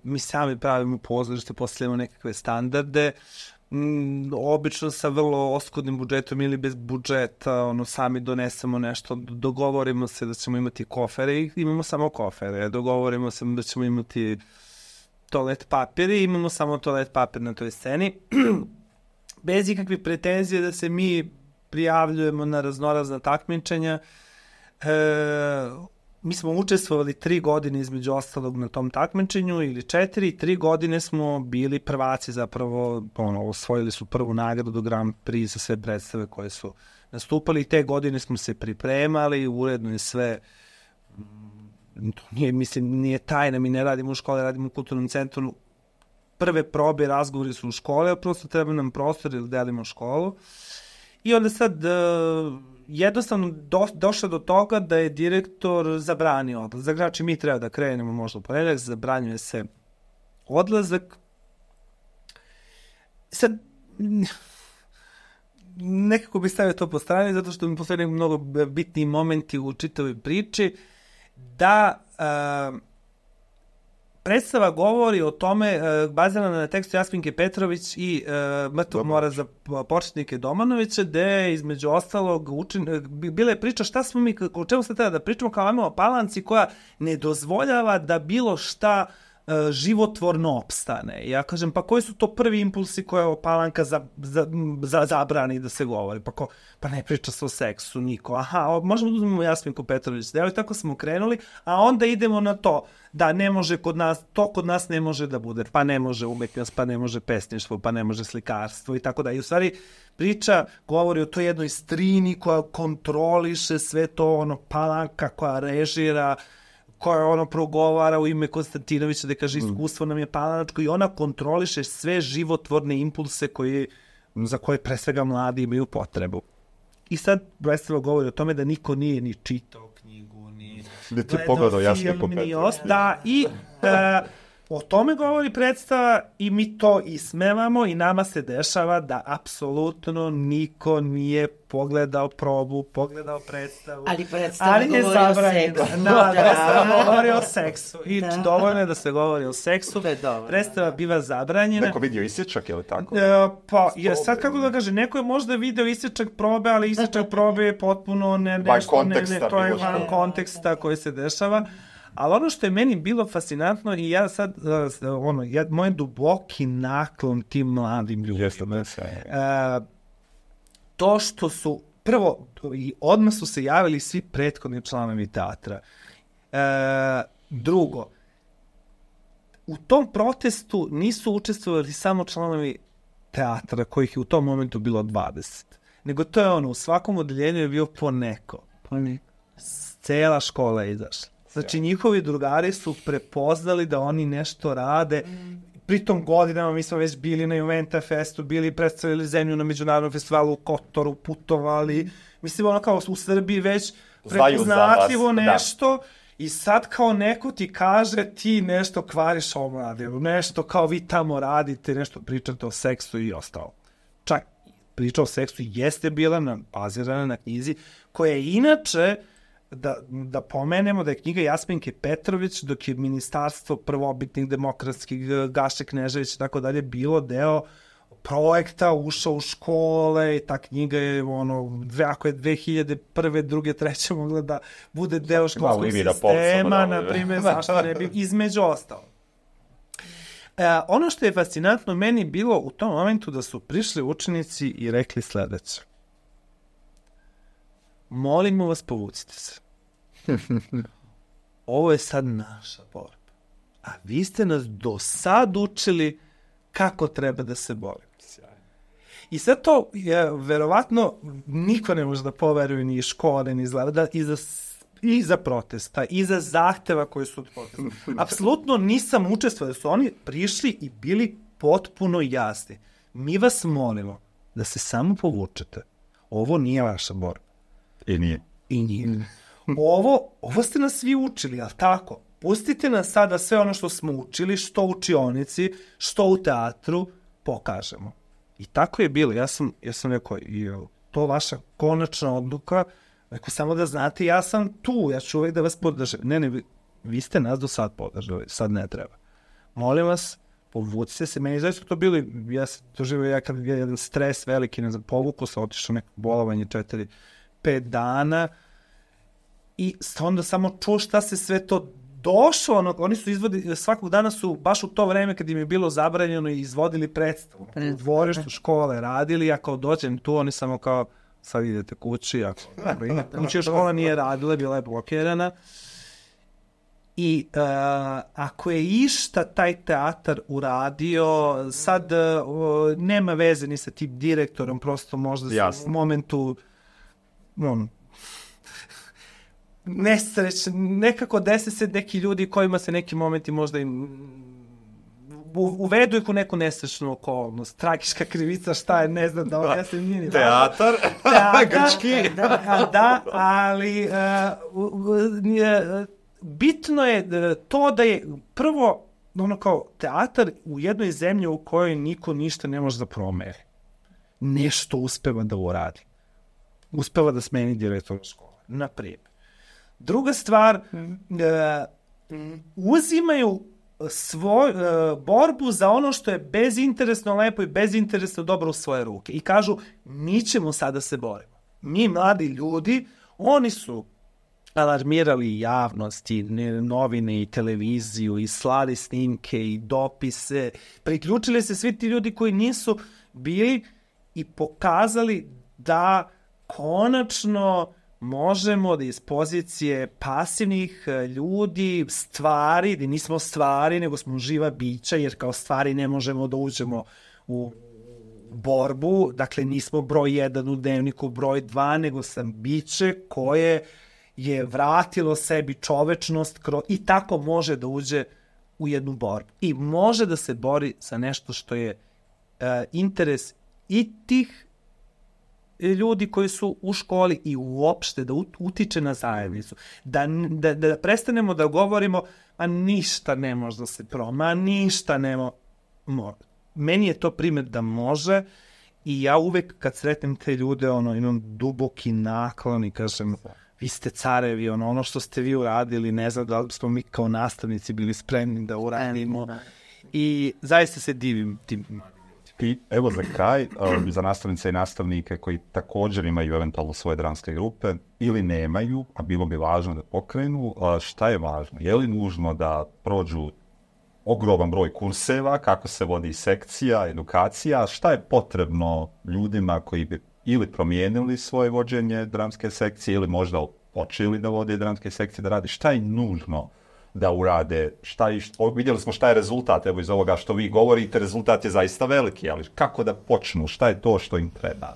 Mi sami pravimo pozorište, postavljamo nekakve standarde, obično sa vrlo oskudnim budžetom ili bez budžeta, sami donesemo nešto, dogovorimo se da ćemo imati kofere i imamo samo kofere, dogovorimo se da ćemo imati toalet papir i imamo samo toalet papir na toj sceni, bez ikakvih pretenzije da se mi prijavljujemo na raznorazna takmičenja. Mi smo učestvovali 3 godine između ostalog na tom takmičenju ili 3 godine smo bili prvaci, zapravo osvojili su prvu nagradu Grand Prix za sve predstave koje su nastupali i te godine smo se pripremali, uredno je sve, nije tajna, mi ne radimo u školi, radimo u kulturnom centru, prve probe, razgovori su u škole, a prosto treba nam prostor ili delimo školu I onda sad jednostavno došlo do toga da je direktor zabranio odlazak. Znači, mi treba da krenemo možda u ponedjeljak, zabranjuje se odlazak. Sad, nekako bih stavio to po strani, zato što mi postoje mnogo bitni momenti u čitavoj priči, da predstava govori o tome, bazirana na tekstu Jasminke Petrović i Mrtvog mora za početnike Domanovića, gde između ostalog bila je priča šta smo mi, o čemu se treba da pričamo kao imamo Palanci koja ne dozvoljava da bilo šta životvorno opstane. Ja kažem, pa koji su to prvi impulsi koje Palanka zabrani da se govori? Pa ne priča se o seksu, niko. Aha, možemo da uzmemo Jasminku Petrović. Evo i tako smo krenuli, a onda idemo na to da ne može kod nas, to kod nas ne može da bude. Pa ne može umetnost, pa ne može pesništvo, pa ne može slikarstvo i tako da. I u stvari priča govori o toj jednoj strini koja kontroliše sve to, Palanka koja režira, koja progovara u ime Konstantinovića da kaže iskustvo nam je palanačko i ona kontroliše sve životvorne impulse za koje pre svega mladi imaju potrebu. I sad predstava govori o tome da niko nije ni čitao knjigu, ni gledao film, ni osta. I o tome govori predstava i mi to ismevamo i nama se dešava da apsolutno niko nije pogledao probu, pogledao predstavu. Ali predstava govori o seksu. Predstava govori o seksu. I dovoljno je da se govori o seksu. Predstava biva zabranjena. Neko vidio isječak, je li tako? Sad kako da kaže, neko je možda video isječak probe, ali isječak probe je potpuno to je van konteksta koji se dešava. Ali ono što je meni bilo fascinantno i ja sad, moj duboki naklon tim mladim ljudima. To što su, prvo, i odmah su se javili svi prethodni članovi teatra. Drugo, u tom protestu nisu učestvovali samo članovi teatra, kojih je u tom momentu bilo 20. Nego to je u svakom odeljenju je bio po neko. Cela škola je izašla. Znači, njihovi drugari su prepoznali da oni nešto rade. Pritom godinama mi smo već bili na Juventa Festu, bili predstavili zemlju na međunarodnom festivalu u Kotoru, putovali. Mislim, kao u Srbiji već prepoznatljivo nešto. I sad kao neko ti kaže ti nešto kvariš ovom radiju, nešto kao vi tamo radite, nešto pričate o seksu i ostalo. Čak priča o seksu jeste bila bazirana na knjizi koja je inače, da pomenemo da je knjiga Jasminke Petrović, dok je ministarstvo prvobitnih demokratskih Gaše Knežević i tako dalje bilo deo projekta, ušao u škole i ta knjiga je ako je 2001. 2. 3. mogla da bude deo školskog sistema, na primjer, zašto ne bi između ostalo. Ono što je fascinantno meni bilo u tom momentu da su prišli učenici i rekli sledeće. Molimo vas, povucite se. Ovo je sad naša borba. A vi ste nas do sad učili kako treba da se borimo. I sad to, verovatno, niko ne može da poveruje ni iz škole, ni iz zlada, i za protesta, i za zahteva koji su od protesta. Apsolutno nisam učestvovao, da su oni prišli i bili potpuno jasni. Mi vas molimo da se samo povučete. Ovo nije vaša borba. I nije. Ovo ste nas svi učili, ali tako? Pustite nas sada sve ono što smo učili, što u učionici, što u teatru, pokažemo. I tako je bilo. Ja sam rekao, to vaša konačna odluka, rekao samo da znate, ja sam tu, ja ću uvek da vas podržim. Ne, vi ste nas do sad podržali, sad ne treba. Molim vas, povucite se, meni zaista to bilo, ja sam doživio kad je jedan stres veliki, ne znam, povuku se, otišao neko bolovanje 4-5 dana i onda samo čuo šta se sve to došlo, oni su izvodili, svakog dana su baš u to vreme kad im je bilo zabranjeno i izvodili predstavu. U dvorištu škole radili, ja kao dođem tu, oni samo kao, sad idete kući, kući škola nije radila, bila je blokirana. I ako je išta taj teatar uradio, sad nema veze ni sa tim direktorom, prosto možda u momentu nesrećno, nekako desi se neki ljudi kojima se neki momenti možda im uvedu ih u neku nesrećnu okolnost, tragička krivica, šta je, ne znam da objasnim, nije ni Teatar, grčki. Da, ali bitno je to da je prvo, ono kao teatar u jednoj zemlji u kojoj niko ništa ne može da promeri. Nešto uspeva da uradi. Uspeva da smeni direktora škole, na primjer. Druga stvar, uzimaju borbu za ono što je bezinteresno lepo i bezinteresno dobro u svoje ruke. I kažu, mi ćemo sada se borimo. Mi, mladi ljudi, oni su alarmirali javnost i novine i televiziju i slali snimke i dopise. Priključili se svi ti ljudi koji nisu bili i pokazali da konačno možemo da iz pozicije pasivnih ljudi, stvari, da nismo stvari, nego smo živa bića, jer kao stvari ne možemo da uđemo u borbu, dakle nismo broj 1 u dnevniku, broj 2, nego sam biće koje je vratilo sebi čovečnost i tako može da uđe u jednu borbu. I može da se bori za nešto što je interes i tih ljudi koji su u školi i uopšte da utiče na zajednicu. Da prestanemo da govorimo, a ništa ne može da se proma, ništa ne može. Meni je to primjer da može i ja uvek kad sretnem te ljude, imam duboki naklon i kažem, vi ste carevi, ono što ste vi uradili, ne znam da li smo mi kao nastavnici bili spremni da uradimo. I zaista se divim tim. I evo za kraj, za nastavnice i nastavnike koji također imaju eventualno svoje dramske grupe ili nemaju, a bilo bi važno da pokrenu, šta je važno? Je li nužno da prođu ogroman broj kurseva, kako se vodi sekcija, edukacija, šta je potrebno ljudima koji bi ili promijenili svoje vođenje dramske sekcije ili možda počeli da vode dramske sekcije, da radi, šta je nužno da urade, vidjeli smo šta je rezultat, evo iz ovoga što vi govorite, rezultat je zaista veliki, ali kako da počnu, šta je to što im treba?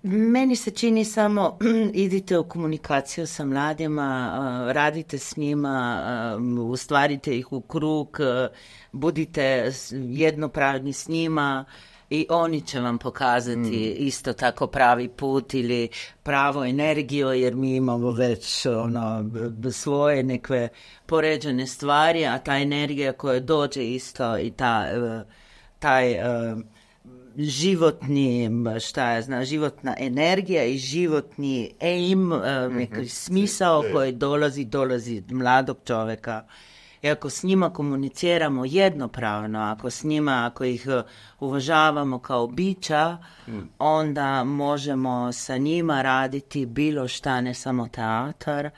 Meni se čini samo idite u komunikaciju sa mladima, radite s njima, ustvarite ih u krug, budite jednopravni s njima i oni će vam pokazati isto tako pravi put ili pravu energiju, jer mi imamo već svoje nekve poređene stvari, a ta energija koja dođe isto i taj životni, životna energija i životni aim, neki smisao koji dolazi od mladog čovjeka. I ako s njima komuniciramo jednopravno, ako ih uvažavamo kao bića, onda možemo sa njima raditi bilo šta, ne samo teatar.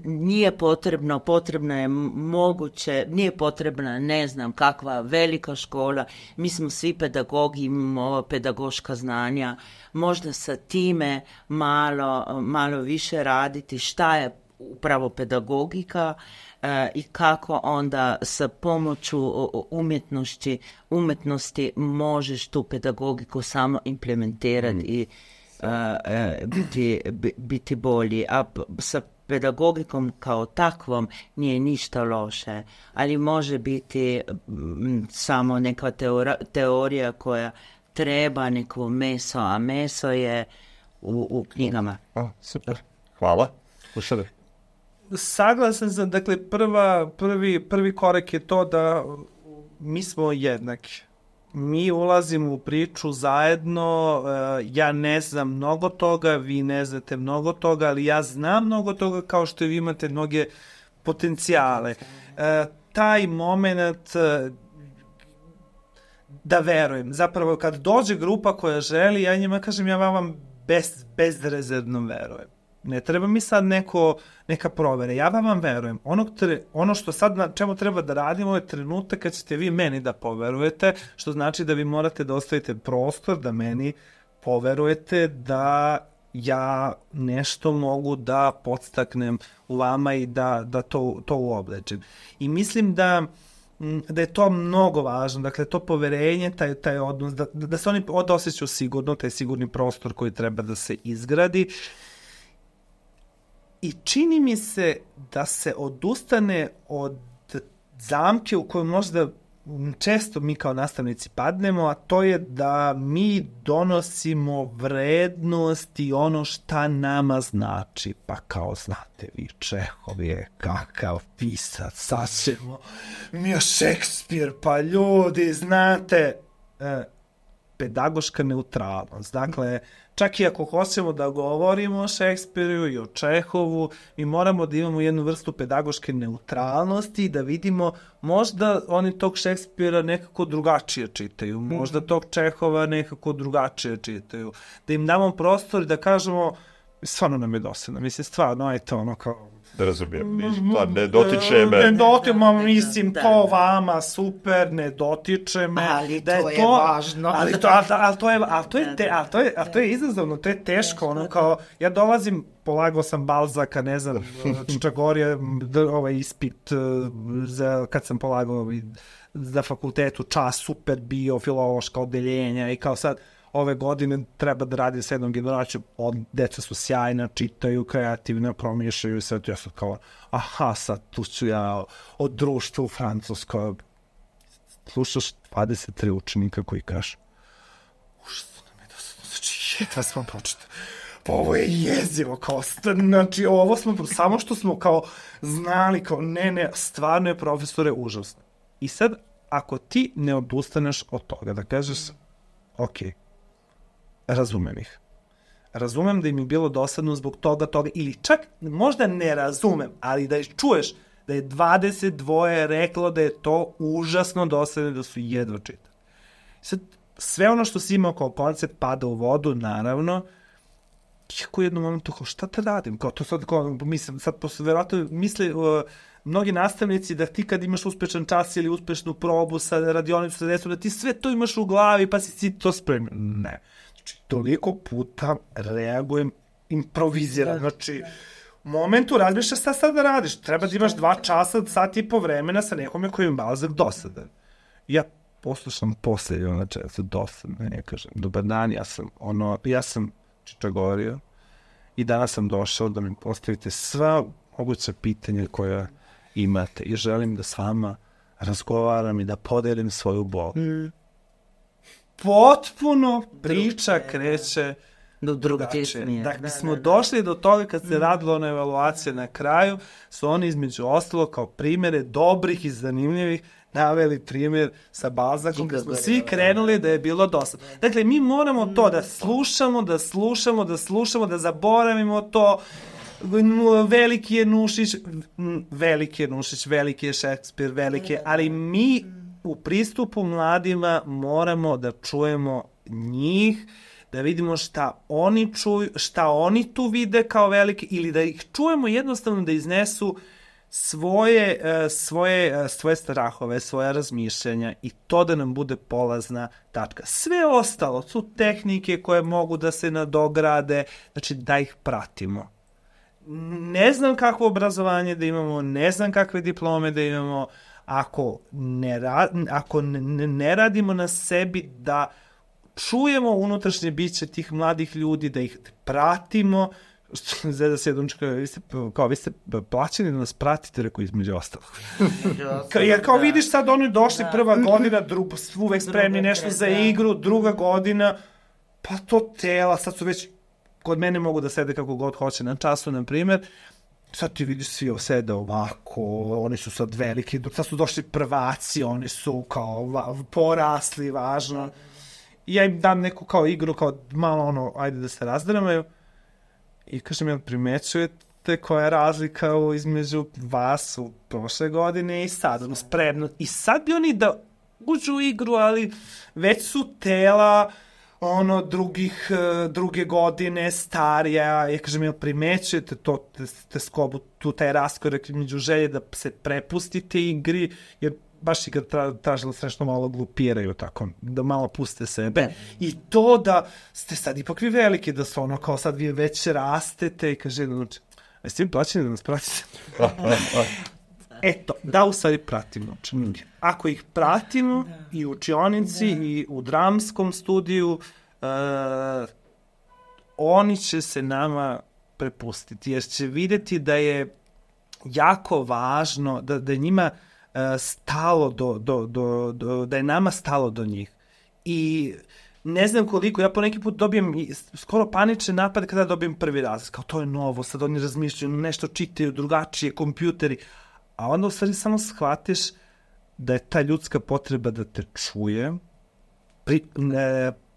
Nije potrebno je moguće, nije potrebna ne znam kakva velika škola, mi smo svi pedagogi, imamo pedagoška znanja, možda sa time malo više raditi šta je upravo pedagogika i kako onda sa pomoću umjetnosti možeš tu pedagogiku samo implementirati i biti bolji. A sa pedagogikom kao takvom nije ništa loše, ali može biti samo neka teorija koja treba neko meso, a meso je u knjigama. Super, hvala. Saglasan sam, dakle, prvi korak je to da mi smo jednaki. Mi ulazimo u priču zajedno, ja ne znam mnogo toga, vi ne znate mnogo toga, ali ja znam mnogo toga kao što vi imate mnoge potencijale. Taj moment da verujem, zapravo kad dođe grupa koja želi, ja njima kažem, ja vam bezrezervno verujem. Ne treba mi sad neka provere, ja vam verujem. Ono što sad na čemu treba da radimo je trenutak kad ćete vi meni da poverujete, što znači da vi morate da ostavite prostor da meni poverujete da ja nešto mogu da podstaknem u vama i da to uoblečim. I mislim da je to mnogo važno, dakle to poverenje, taj odnos, da se oni osjećaju sigurno, taj sigurni prostor koji treba da se izgradi. I čini mi se da se odustane od zamke u kojoj možda često mi kao nastavnici padnemo, a to je da mi donosimo vrednost i ono šta nama znači. Pa kao znate vi, Čehov je kakav pisac, sad ćemo mi je Šekspir, pa ljudi, znate, pedagoška neutralnost. Dakle, čak i ako hoćemo da govorimo o Šekspiru i o Čehovu, mi moramo da imamo jednu vrstu pedagoške neutralnosti i da vidimo možda oni tog Šekspira nekako drugačije čitaju, možda tog Čehova nekako drugačije čitaju. Da im damo prostor i da kažemo, stvarno nam je dosadno, mislim, stvarno, ajte ono kao... Da razumijem, ne dotiče me. Ne dotiče me, mislim, to vama, super, ne dotiče me. Ali to je važno. Ali to je izazovno, to je teško, ono kao, ja dolazim, polagao sam Balzaka, ne znam, Čagorje, ispit, kad sam polagao za fakultetu, čas, super bio, filološka odeljenja i kao sad, ove godine treba da radi s jednom generacijom, deca su sjajna, čitaju, kreativno, promišljaju sve, ja sam kao, aha, sad tu ću ja od društva u Francuskoj. Slušaš 23 učenika koji kažu, užasno nam je znači, jedva smo pročitali. Pa ovo je jezivo, kao, znači, ovo smo, samo što smo kao znali, kao, ne, stvarno je profesore užasno. I sad, ako ti ne odustaneš od toga, da kažeš, okej, razumem ih. Razumem da im je bilo dosadno zbog toga, ili čak možda ne razumem, ali da čuješ da je 22 reklo da je to užasno dosadno, da su jedva čitali. Sad, sve ono što si imao kao koncept pada u vodu, naravno, iako u jednom momentu, kao, šta te radim? Kao, to sad, kao, mislim, sad verovatno misle mnogi nastavnici da ti kad imaš uspešan čas ili uspešnu probu sa radionicu, sa desom, da ti sve to imaš u glavi pa si to spremio. Ne. Znači, toliko puta reagujem improviziram. Znači, u momentu razmišljaš šta sad da radiš. Treba da imaš 2 časa, sat i po vremena sa nekome koji je Balzak dosadan. Ja poslušam posle, znači, ja sam dosadan, ne kažem, dobar dan, ja sam Čičagorio i danas sam došao da mi postavite sva moguća pitanja koja imate i želim da s vama razgovaram i da podelim svoju bol. Potpuno priča kreće drugačije. Dakle, smo došli do toga kad se radilo na evaluacije na kraju, su oni između ostalo kao primere dobrih i zanimljivih naveli primjer sa Balzakom, kad smo svi krenuli da je bilo dosadno. Dakle, mi moramo to da slušamo, da zaboravimo to. Veliki je Nušić, veliki je Šekspir, ali mi u pristupu mladima moramo da čujemo njih, da vidimo šta oni čuju, šta oni tu vide kao velike, ili da ih čujemo jednostavno da iznesu svoje strahove, svoje razmišljanja i to da nam bude polazna tačka. Sve ostalo su tehnike koje mogu da se nadograde, znači da ih pratimo. Ne znam kakvo obrazovanje da imamo, ne znam kakve diplome da imamo, ako ne radimo na sebi da čujemo unutrašnje biće tih mladih ljudi, da ih pratimo. Zeda se jednom čeka, vi ste plaćeni da nas pratite, rekao između ostalog. Jer kao vidiš sad oni došli prva godina, uvek spremni nešto za igru, druga godina, pa to tela, sad su već kod mene mogu da sede kako god hoće na času, na primjer, sad ti vidiš svi sede ovako, oni su sad veliki, sad su došli prvaci, oni su kao porasli, važno. I ja im dam neku kao igru, kao malo ajde da se razdramaju. I kažem, jel primećujete koja je razlika između vas u prošle godine i sad, spremno. I sad bi oni da uđu u igru, ali već su tela, druge godine, starija. Ja kažem, jel primećujete to, te skobu, tu taj raskorak među želje da se prepustite igri, jer baš i kad tražilo srećno malo glupiraju tako, da malo puste sebe. I to da ste sad ipak vi veliki, da su kao sad vi već rastete i kaže, jeste vi plaćeni da nas pratite? Eto, da u stvari pratimo učenike. Ako ih pratimo i u učionici i u dramskom studiju, oni će se nama prepustiti, jer će videti da je jako važno, da njima stalo da je nama stalo do njih. I ne znam koliko, ja po neki put dobijem skoro panične napade kada dobijem prvi razred, kao to je novo, sad oni razmišljaju, nešto čitaju, drugačije, kompjuteri, a onda u stvari samo shvatiš da je ta ljudska potreba da te čuje,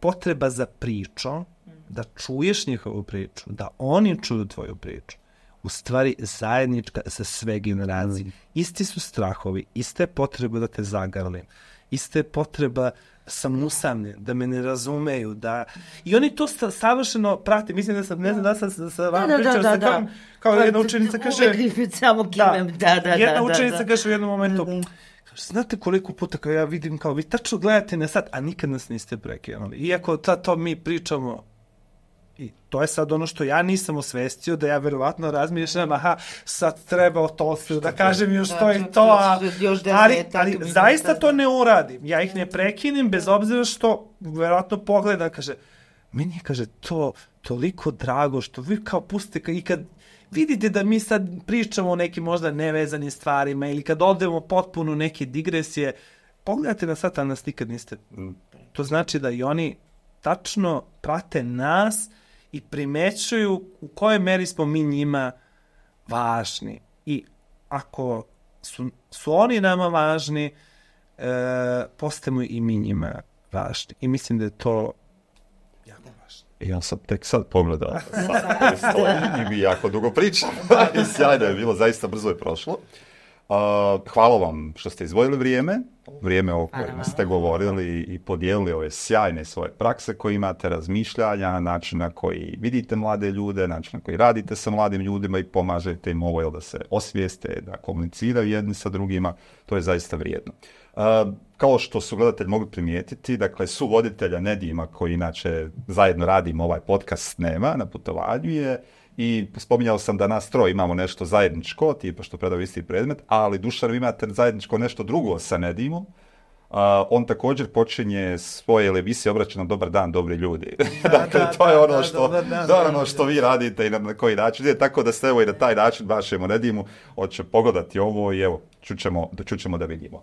potreba za pričom, da čuješ njihovu priču, da oni čuju tvoju priču, u stvari zajednička za sve generacije. Isti su strahovi, iste potrebe da te zagrlim, iste potreba sam usamljen, da me ne razumeju, da... I oni to savršeno prate. Mislim da sam, ne znam da sam sa vama pričao, kao jedna učenica kaže... Uvijek samo kimem, jedna učenica kaže u jednom momentu, znate koliko puta kao ja vidim, kao vi tačno gledate na sat, a nikad nas niste prekinuli. Iako to mi pričamo, i to je sad ono što ja nisam osvestio, da ja verovatno razmišljam, aha, sad treba to da kažem još to i to, ali zaista to ne uradim. Ja ih ne prekinem, bez obzira što verovatno pogleda, kaže, meni je, kaže, to toliko drago što vi kao pustite, i kad vidite da mi sad pričamo o nekim možda nevezanim stvarima ili kad odemo potpuno neke digresije, pogledajte na sat, a nas nikad niste. To znači da i oni tačno prate nas i primećuju u kojoj meri smo mi njima važni. I ako su oni nama važni, postajemo i mi njima važni. I mislim da je to jako važno. Ja sam tek sad pogledao i mi jako dugo pričam. Sjajno je bilo, zaista brzo je prošlo. Hvala vam što ste izdvojili vrijeme o kojem ste govorili i podijelili ove sjajne svoje prakse koje imate, razmišljanja, način na koji vidite mlade ljude, način na koji radite sa mladim ljudima i pomažete im ovo da se osvijeste, da komuniciraju jedni sa drugima. To je zaista vrijedno. Kao što su gledatelji mogli primijetiti, dakle, suvoditelja Nedima, koji inače zajedno radimo ovaj podcast, nema, na putovanju je, i spominjao sam da nas troje imamo nešto zajedničko, tipa što predao isti predmet, ali Dušan, imate zajedničko nešto drugo sa Nedimom. On također počinje svoje emisije obraća nam dobar dan, dobri ljudi. Dakle, to je ono što vi radite i na koji način. Tako da ste evo i na taj način vašemo Nedimu, hoće pogledati ovo i evo, čućemo da vidimo.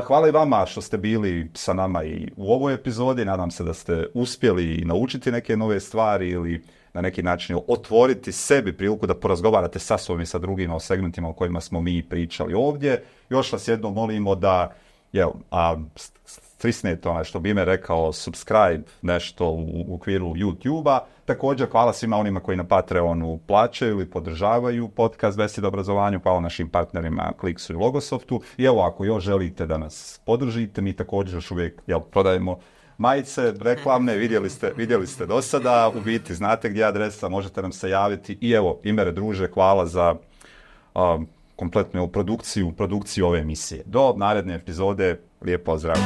Hvala i vama što ste bili sa nama i u ovoj epizodi. Nadam se da ste uspjeli naučiti neke nove stvari ili na neki način otvoriti sebi priliku da porazgovarate sa sobom i sa drugima o segmentima o kojima smo mi pričali ovdje. Još vas jednom molimo da stisnete što bi ime rekao subscribe nešto u okviru YouTube-a. Također hvala svima onima koji na Patreonu plaćaju ili podržavaju podcast Besjede o obrazovanju. Hvala našim partnerima Kliksu i Logosoftu. I evo, ako još želite da nas podržite, mi također još uvijek prodajemo majice reklamne, vidjeli ste do sada, u biti znate gdje je adresa, možete nam se javiti. I evo, Imere druže, hvala za kompletnu produkciju ove emisije. Do naredne epizode, lijep pozdrav.